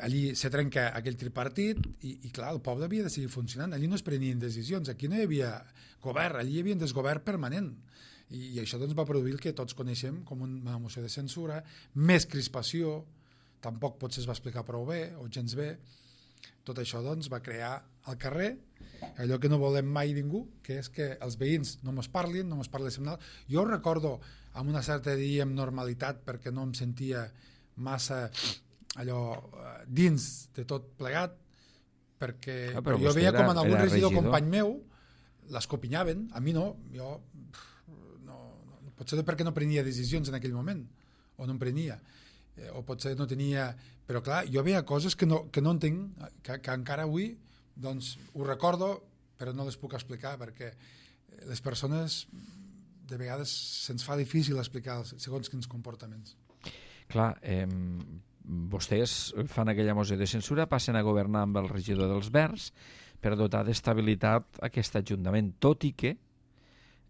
allí se trenca aquell tripartit i clar, el poble havia de seguir funcionant, allí no es prenien decisions, aquí no hi havia govern, allí hi havia un desgovern permanent i això doncs va produir el que tots coneixem com una moció de censura, més crispació, tampoc potser es va explicar prou bé o gens bé. Tot això doncs va crear al carrer allò que no volem mai ningú, que és que els veïns no mos parlin, no mos parli semanal. Jo ho recordo amb una certa, diríem, normalitat, perquè no em sentia massa allò dins de tot plegat, perquè jo veia com en algun regidor company meu l'escopinyaven, a mi no, jo no, potser perquè no prenia decisions en aquell moment, o no en prenia, o potser no tenia, però clar, jo veia coses que no entenc, que encara avui doncs ho recordo, però no les puc explicar, perquè les persones de vegades se'ns fa difícil explicar segons quins comportaments. Clar, vostès fan aquella moció de censura, passen a governar amb el regidor dels Verds per dotar d'estabilitat aquest ajuntament, tot i que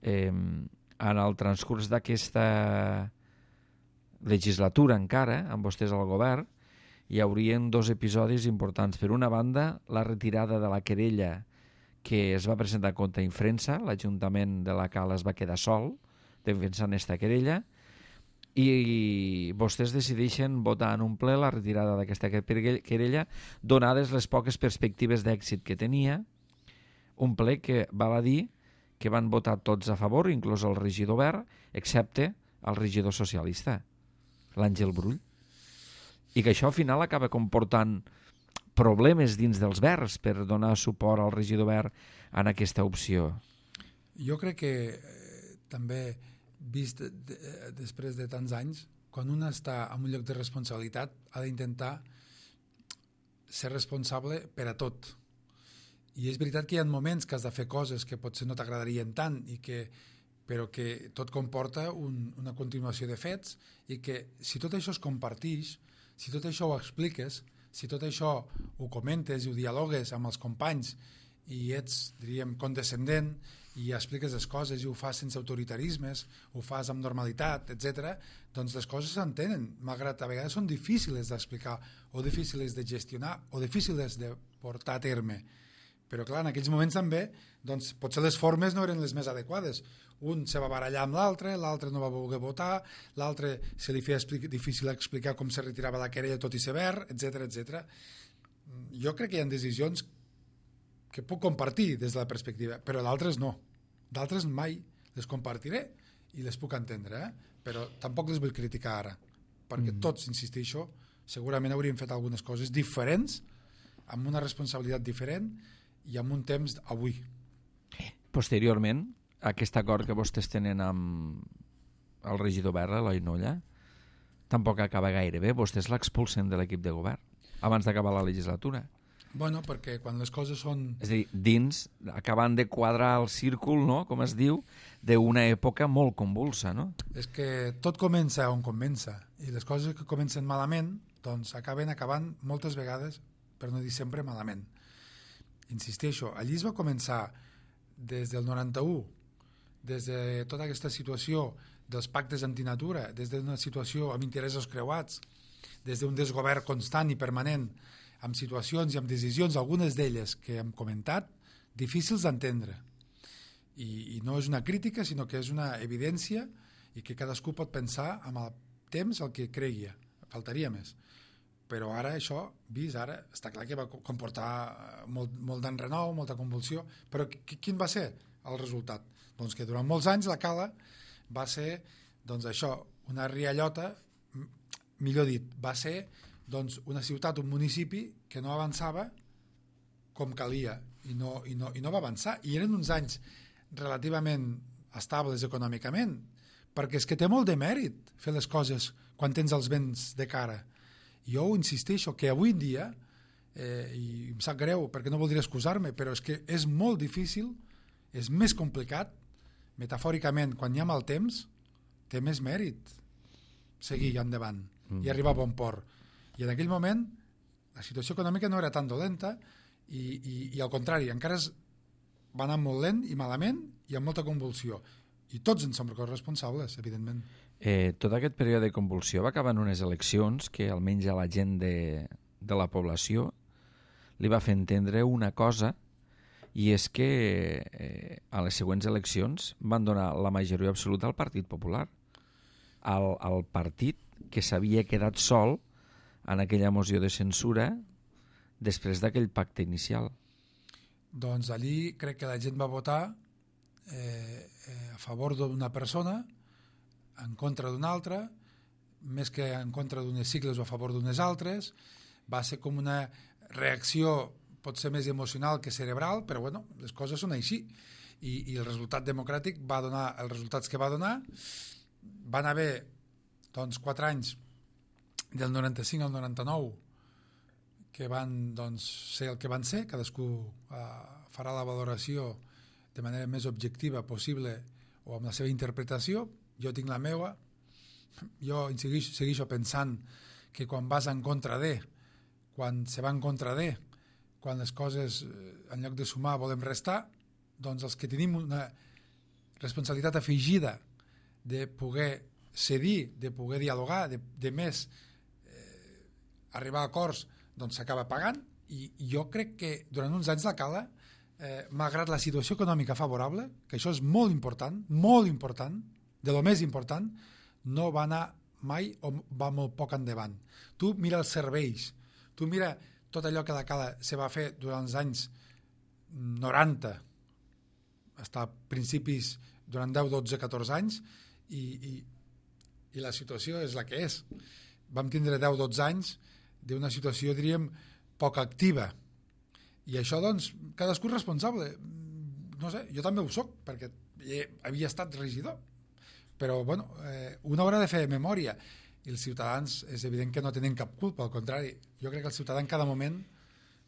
en el transcurs d'aquesta legislatura encara, amb vostès al govern, hi haurien dos episodis importants. Per una banda, la retirada de la querella que es va presentar contra Infrensa, l'Ajuntament de la Cala es va quedar sol defensant aquesta querella, i vostès decideixen votar en un ple la retirada d'aquesta querella, donades les poques perspectives d'èxit que tenia, un ple que val a dir que van votar tots a favor, inclús el regidor verd, excepte el regidor socialista, l'Àngel Brull, i que això al final acaba comportant problemes dins dels Verds per donar suport al regidor verd en aquesta opció. Jo crec que també, vist després de tants anys, quan un està en un lloc de responsabilitat ha d'intentar ser responsable per a tot. I és veritat que hi ha moments que has de fer coses que potser no t'agradarien tant, però que tot comporta una continuació de fets, i que si tot això es comparteix, si tot això ho expliques, si tot això ho comentes i ho dialogues amb els companys i ets, diríem, condescendent i expliques les coses i ho fas sense autoritarismes, ho fas amb normalitat, etc., doncs les coses s'entenen, malgrat a vegades són difícils d'explicar o difícils de gestionar o difícils de portar a terme. Però clar, en aquells moments també doncs, potser les formes no eren les més adequades. Un se va barallar amb l'altre no va voler votar, l'altre se li feia difícil explicar com se retirava la querella tot i ser verd, etc etc. Jo crec que hi ha decisions que puc compartir des de la perspectiva, però d'altres no. D'altres mai les compartiré i les puc entendre, però tampoc les vull criticar ara, perquè tots, insisteixo, segurament hauríem fet algunes coses diferents, amb una responsabilitat diferent i amb un temps avui. Posteriorment, aquest acord que vostès tenen amb el regidor verd, Eloi Nolla, tampoc acaba gaire bé. Vostès l'expulsen de l'equip de govern abans d'acabar la legislatura. Bueno, perquè quan les coses són... És a dir, dins, acabant de quadrar el círcul, no?, com es diu, d'una època molt convulsa, no? És que tot comença on comença, i les coses que comencen malament doncs acaben acabant moltes vegades, per no dir sempre, malament. Insisteixo, allí es va començar des del 91, des de tota aquesta situació dels pactes antinatura, des d'una situació amb interessos creuats, des d'un desgovern constant i permanent, amb situacions i amb decisions, algunes d'elles que hem comentat, difícils d'entendre. I no és una crítica, sinó que és una evidència i que cadascú pot pensar amb el temps el que cregui, faltaria més. però ara això, vist ara, està clar que va comportar molt d'enrenou, molta convulsió, però quin va ser el resultat? Doncs que durant molts anys la Cala va ser, doncs això, una riallota, millor dit, va ser doncs, una ciutat, un municipi que no avançava com calia i no va avançar, i eren uns anys relativament estables econòmicament, perquè és que té molt de mèrit fer les coses quan tens els vents de cara. Jo ho insisteixo, que avui en dia, i em sap greu perquè no voldria excusar-me, però és que és molt difícil, és més complicat, metafòricament, quan hi ha mal temps, té més mèrit seguir endavant i arribar a bon port. I en aquell moment la situació econòmica no era tan dolenta i al contrari, encara va anar molt lent i malament i amb molta convulsió. I tots en som corresponsables, evidentment. Tot aquest període de convulsió va acabar en unes eleccions que almenys a la gent de la població li va fer entendre una cosa, i és que a les següents eleccions van donar la majoria absoluta al Partit Popular, al partit que s'havia quedat sol en aquella moció de censura després d'aquell pacte inicial. Doncs allí crec que la gent va votar a favor d'una persona, en contra d'una altra, més que en contra d'unes sigles o a favor d'unes altres. Va ser com una reacció pot ser més emocional que cerebral, però bueno, les coses són així. I el resultat democràtic va donar els resultats que va donar. Van haver doncs, 4 anys, del 95 al 99, que van doncs, ser el que van ser. Cadascú farà la valoració de manera més objectiva possible o amb la seva interpretació. Jo tinc la meva. Jo segueixo pensant que quan vas en contra de, quan se va en contra de, quan les coses en lloc de sumar volem restar, doncs els que tenim una responsabilitat afegida de poder cedir, de poder dialogar, de més arribar a acords, doncs s'acaba pagant. I jo crec que durant uns anys la Cala, malgrat la situació econòmica favorable, que això és molt important, de lo més important, no va anar mai o va molt poc endavant. Tu mira els serveis, tu mira tot allò que la Cala se va fer durant els anys 90, fins a principis, durant 10, 12, 14 anys, i la situació és la que és. Vam tindre 10, 12 anys d'una situació, diríem, poc activa. I això, doncs, cadascú és responsable. No sé, jo també ho soc, perquè havia estat regidor. Però, bueno, una haurà de fer memòria. I els ciutadans, és evident que no tenen cap culpa, al contrari. Jo crec que el ciutadà en cada moment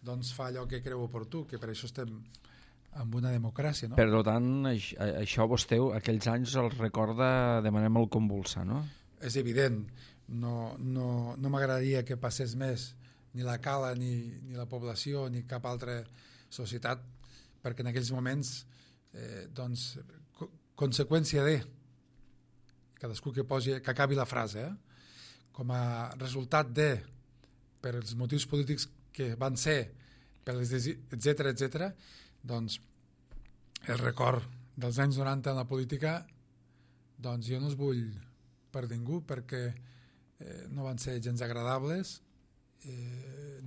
doncs, fa allò que creu oportú, que per això estem en una democràcia, no? Per tant, això vostè, aquells anys, els recorda de manera molt convulsa, no? És evident. No m'agradaria que passés més ni la Cala, ni la població, ni cap altra societat, perquè en aquells moments, doncs, conseqüència de, cadascú que acabi la frase, com a resultat de, per els motius polítics que van ser, etc., doncs, el record dels anys 90 en la política, doncs jo no els vull per ningú, perquè no van ser gens agradables,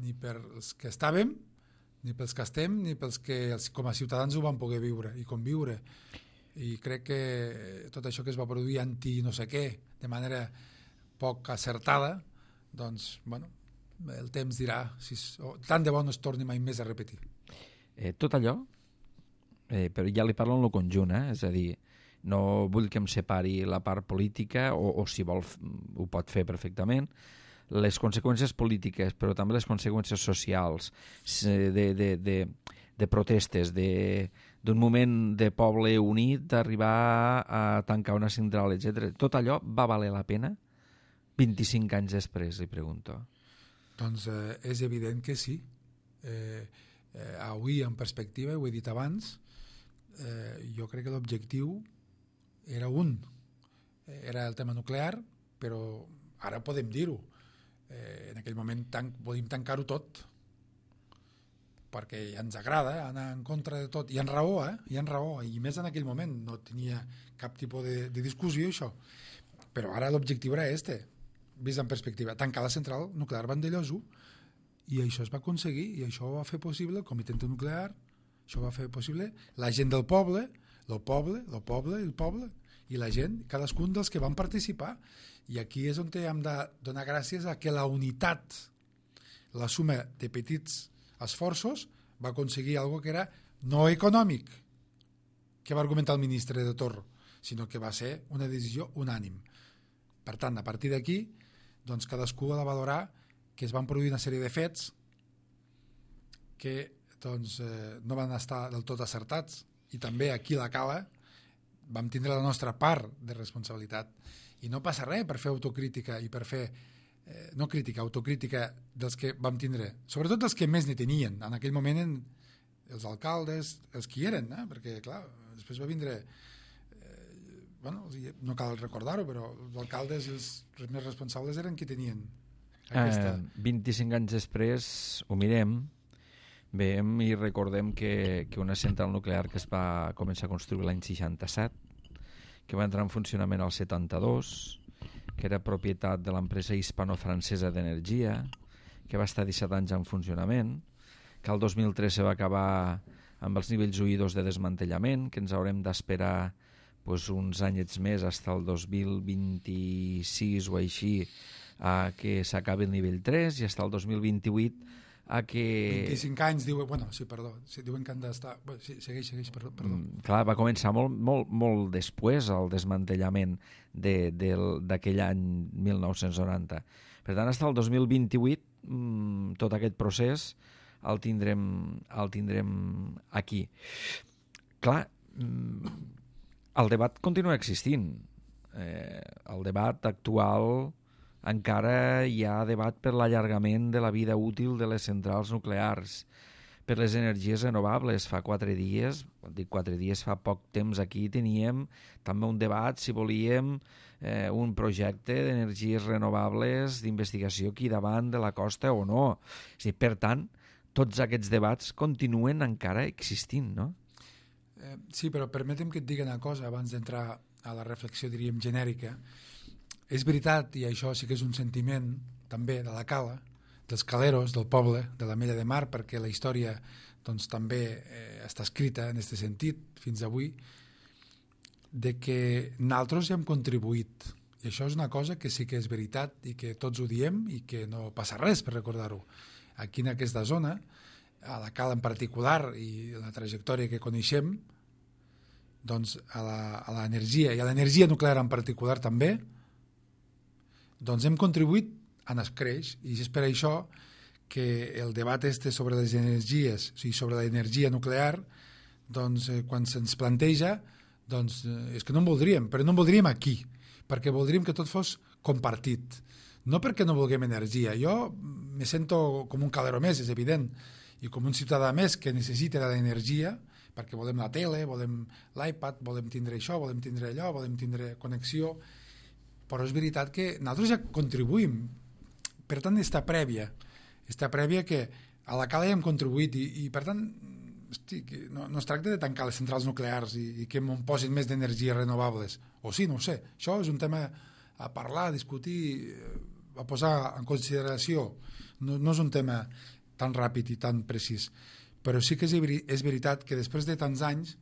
ni per els que estàvem, ni pels que estem, ni pels que com a ciutadans ho van poder viure i conviure. I crec que tot això que es va produir anti no sé què, de manera poc acertada, doncs, bueno, el temps dirà si tant de bo no es torni mai més a repetir. Tot allò, però ja li parlo en el conjunt, és a dir, no vull que em separi la part política, o si vol ho pot fer perfectament, les conseqüències polítiques, però també les conseqüències socials, de protestes, d'un moment de poble unit, d'arribar a tancar una central, etc. Tot allò va valer la pena 25 anys després, li pregunto. Doncs és evident que sí. Avui, en perspectiva, ho he dit abans, jo crec que l'objectiu era era el tema nuclear, però ara podem dir-ho. En aquell moment volíem tancar-ho tot, perquè ja ens agrada anar en contra de tot, i en raó, i més en aquell moment no tenia cap tipus de discussió això, però ara l'objectiu era vist en perspectiva, tancar la central nuclear Vandellós 1, i això es va aconseguir, i això ho va fer possible el comitè nuclear, això ho va fer possible la gent del poble, el poble, i la gent, cadascun dels que van participar. I aquí és on hem de donar gràcies a que la unitat, la suma de petits esforços, va aconseguir algo que era no econòmic, que va argumentar el ministre de Torro, sinó que va ser una decisió unànim. Per tant, a partir d'aquí, doncs cadascú ha de valorar que es van produir una sèrie de fets que doncs, no van estar del tot acertats, i també aquí a la Cala vam tindre la nostra part de responsabilitat. I no passa res per fer autocrítica i per fer, no crítica, autocrítica dels que vam tindre, sobretot dels que més ne tenien. En aquell moment els alcaldes, els que hi eren, perquè clar, després va vindre, no cal recordar-ho, però els alcaldes i els més responsables eren qui tenien aquesta... 25 anys després ho mirem, veiem i recordem que una central nuclear que es va començar a construir l'any 67, que va entrar en funcionament al 72, que era propietat de l'empresa hispano-francesa d'energia, que va estar 17 anys en funcionament, que el 2003 se va acabar amb els nivells huidos de desmantellament, que ens haurem d'esperar uns anyets més, fins al 2026 o així, a que s'acabi el nivell 3, i fins al 2028 a que... 25 anys, diuen, diuen que han d'estar... Sí, segueix, perdó. Clar, va començar molt després el desmantellament d'aquell any 1990. Per tant, fins al 2028 tot aquest procés el tindrem aquí. Clar, el debat continua existint. El debat actual... encara hi ha debat per l'allargament de la vida útil de les centrals nuclears, per les energies renovables. Fa 4 dies, fa poc temps, aquí teníem també un debat si volíem un projecte d'energies renovables d'investigació aquí davant de la costa o no. Per tant, tots aquests debats continuen encara existint, no? Sí, però permetem que et digui una cosa abans d'entrar a la reflexió, diríem, genèrica. És veritat, i això sí que és un sentiment també de la Cala, dels caleros, del poble, de la Mella de Mar, perquè la història doncs, també està escrita en aquest sentit fins avui, de que nosaltres hi hem contribuït. I això és una cosa que sí que és veritat i que tots ho diem i que no passa res per recordar-ho. Aquí en aquesta zona, a la Cala en particular i la trajectòria que coneixem, doncs a l'energia i a l'energia nuclear en particular també, doncs hem contribuït en el creix, i és per això que el debat sobre les energies, o sigui, sobre l'energia nuclear, doncs quan se'ns planteja, doncs és que no en voldríem, però no en voldríem aquí, perquè voldríem que tot fos compartit. No perquè no vulguem energia, jo me sento com un calero més, és evident, i com un ciutadà més que necessita de l'energia, perquè volem la tele, volem l'iPad, volem tindre això, volem tindre allò, volem tindre connexió, però és veritat que nosaltres ja contribuïm. Per tant, està prèvia que a la Cala ja hem contribuït i per tant, no es tracta de tancar les centrals nuclears i que em posin més d'energies renovables, o sí, no ho sé. Això és un tema a parlar, a discutir, a posar en consideració. No és un tema tan ràpid i tan precís, però sí que és veritat que després de tants anys,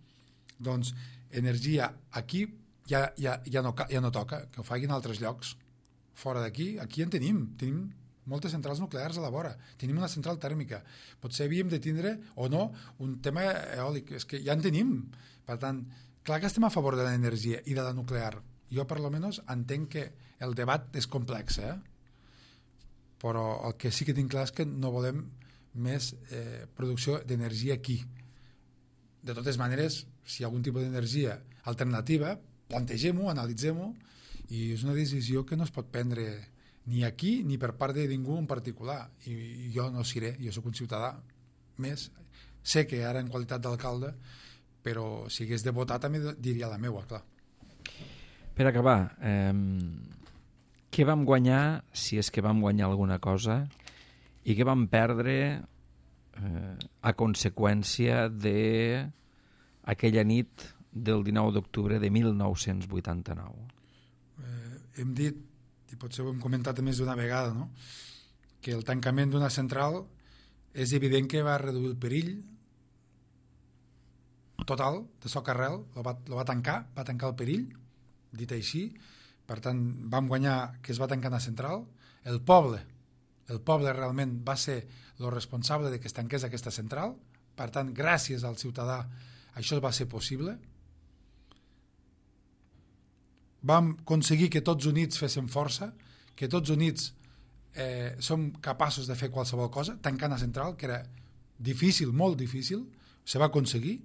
doncs, energia aquí ja no toca, que ho facin en altres llocs. Fora d'aquí, aquí en tenim moltes centrals nuclears a la vora, tenim una central tèrmica, potser havíem de tindre o no un tema eòlic, és que ja en tenim. Per tant, clar que estem a favor de l'energia i de la nuclear. Jo per almenys entenc que el debat és complex, però el que sí que tinc clar és que no volem més producció d'energia aquí. De totes maneres, si hi ha algun tipus d'energia alternativa, plantegem-ho, analitzem-ho, i és una decisió que no es pot prendre ni aquí ni per part de ningú en particular, i jo no seré, jo sóc un ciutadà més, sé que ara en qualitat d'alcalde, però si hagués de votar també diria la meua, clar. Per acabar, què vam guanyar, si és que vam guanyar alguna cosa, i què vam perdre a conseqüència d'aquella nit del 19 d'octubre de 1989? Hem dit, i potser ho hem comentat més d'una vegada, no? Que el tancament d'una central és evident que va reduir el perill total de Socarrel, lo va tancar el perill, dit així. Per tant, vam guanyar que es va tancar una central. El poble realment va ser el responsable de que es tanqués aquesta central. Per tant, gràcies al ciutadà això va ser possible. Vam aconseguir que tots units féssim força, que tots units som capaços de fer qualsevol cosa, tancar una central, que era difícil, molt difícil, se va aconseguir.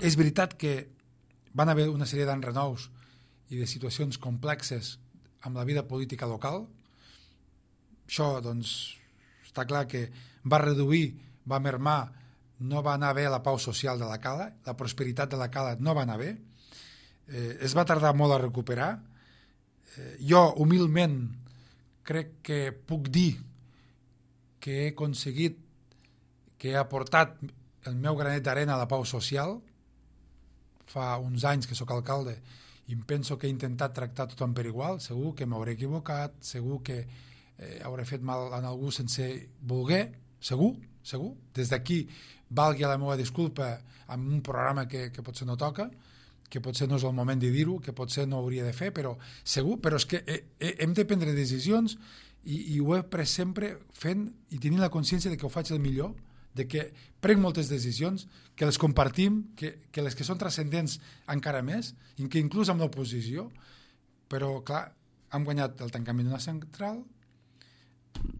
És veritat que van haver una sèrie d'enrenous i de situacions complexes amb la vida política local. Això, doncs, està clar que va reduir, va mermar, no va anar bé la pau social de la Cala, la prosperitat de la Cala no va anar bé, es va tardar molt a recuperar. Jo, humilment, crec que puc dir que he aconseguit, que he aportat el meu granet d'arena a la pau social. Fa uns anys que sóc alcalde i em penso que he intentat tractar tothom per igual. Segur que m'hauré equivocat, segur que hauré fet mal a algú sense voler, segur. Des d'aquí valgui la meva disculpa amb un programa que potser no toca, que potser no és el moment de dir-ho, que potser no hauria de fer, però segur, però és que hem de prendre decisions i ho he pres sempre fent i tenint la consciència de que ho faig el millor, de que prenc moltes decisions, que les compartim, que les que són transcendents encara més, i que inclús amb l'oposició, però clar, hem guanyat el tancament d'una central,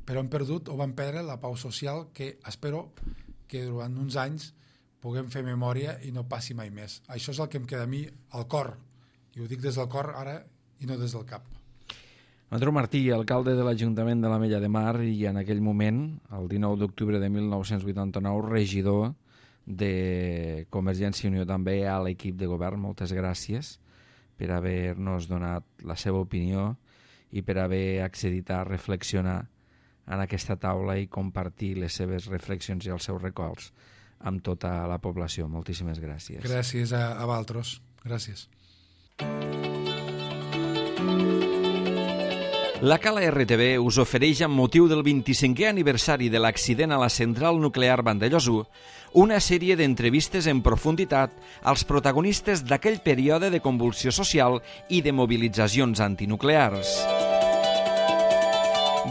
però hem perdut o vam perdre la pau social que espero que durant uns anys puguem fer memòria i no passi mai més. Això és el que em queda a mi al cor, i ho dic des del cor ara i no des del cap. Andreu Martí, alcalde de l'Ajuntament de l'Ametlla de Mar i en aquell moment, el 19 d'octubre de 1989, regidor de Convergència i Unió també a l'equip de govern. Moltes gràcies per haver-nos donat la seva opinió i per haver accedit a reflexionar en aquesta taula i compartir les seves reflexions i els seus records amb tota la població. Moltíssimes gràcies. Gràcies a vosaltres. Gràcies. La Cala RTV us ofereix, amb motiu del 25è aniversari de l'accident a la central nuclear Vandellòs 1, una sèrie d'entrevistes en profunditat als protagonistes d'aquell període de convulsió social i de mobilitzacions antinuclears.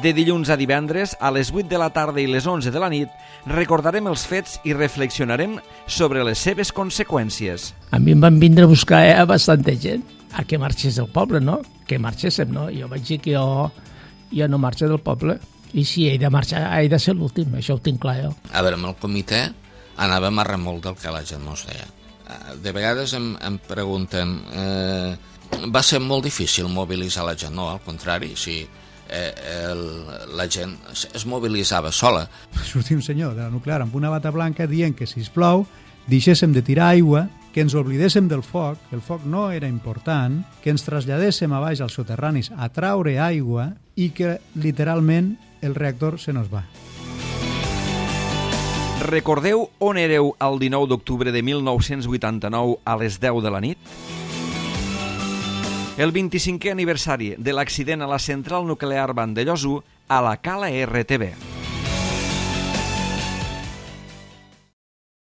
De dilluns a divendres, a les 8 de la tarda i les 11 de la nit, recordarem els fets i reflexionarem sobre les seves conseqüències. A mi em van vindre a buscar bastanta gent a que marxés del poble, no? Que marxéssim, no? Jo vaig dir que jo no marxo del poble i si he de marxar, he de ser l'últim, això ho tinc clar jo. A veure, amb el comitè anàvem a remolc del que la gent no es deia. De vegades em pregunten, va ser molt difícil mobilitzar la gent? No, al contrari, si la gent es mobilitzava sola. Sortia un senyor de la nuclear amb una bata blanca dient que, sisplau, deixéssim de tirar aigua, que ens oblidéssim del foc, que el foc no era important, que ens traslladéssim a baix als soterranis a traure aigua i que, literalment, el reactor se nos va. Recordeu on éreu el 19 d'octubre de 1989 a les 10 de la nit? El 25è aniversari de l'accident a la central nuclear Vandellòs 1 a la Cala RTV.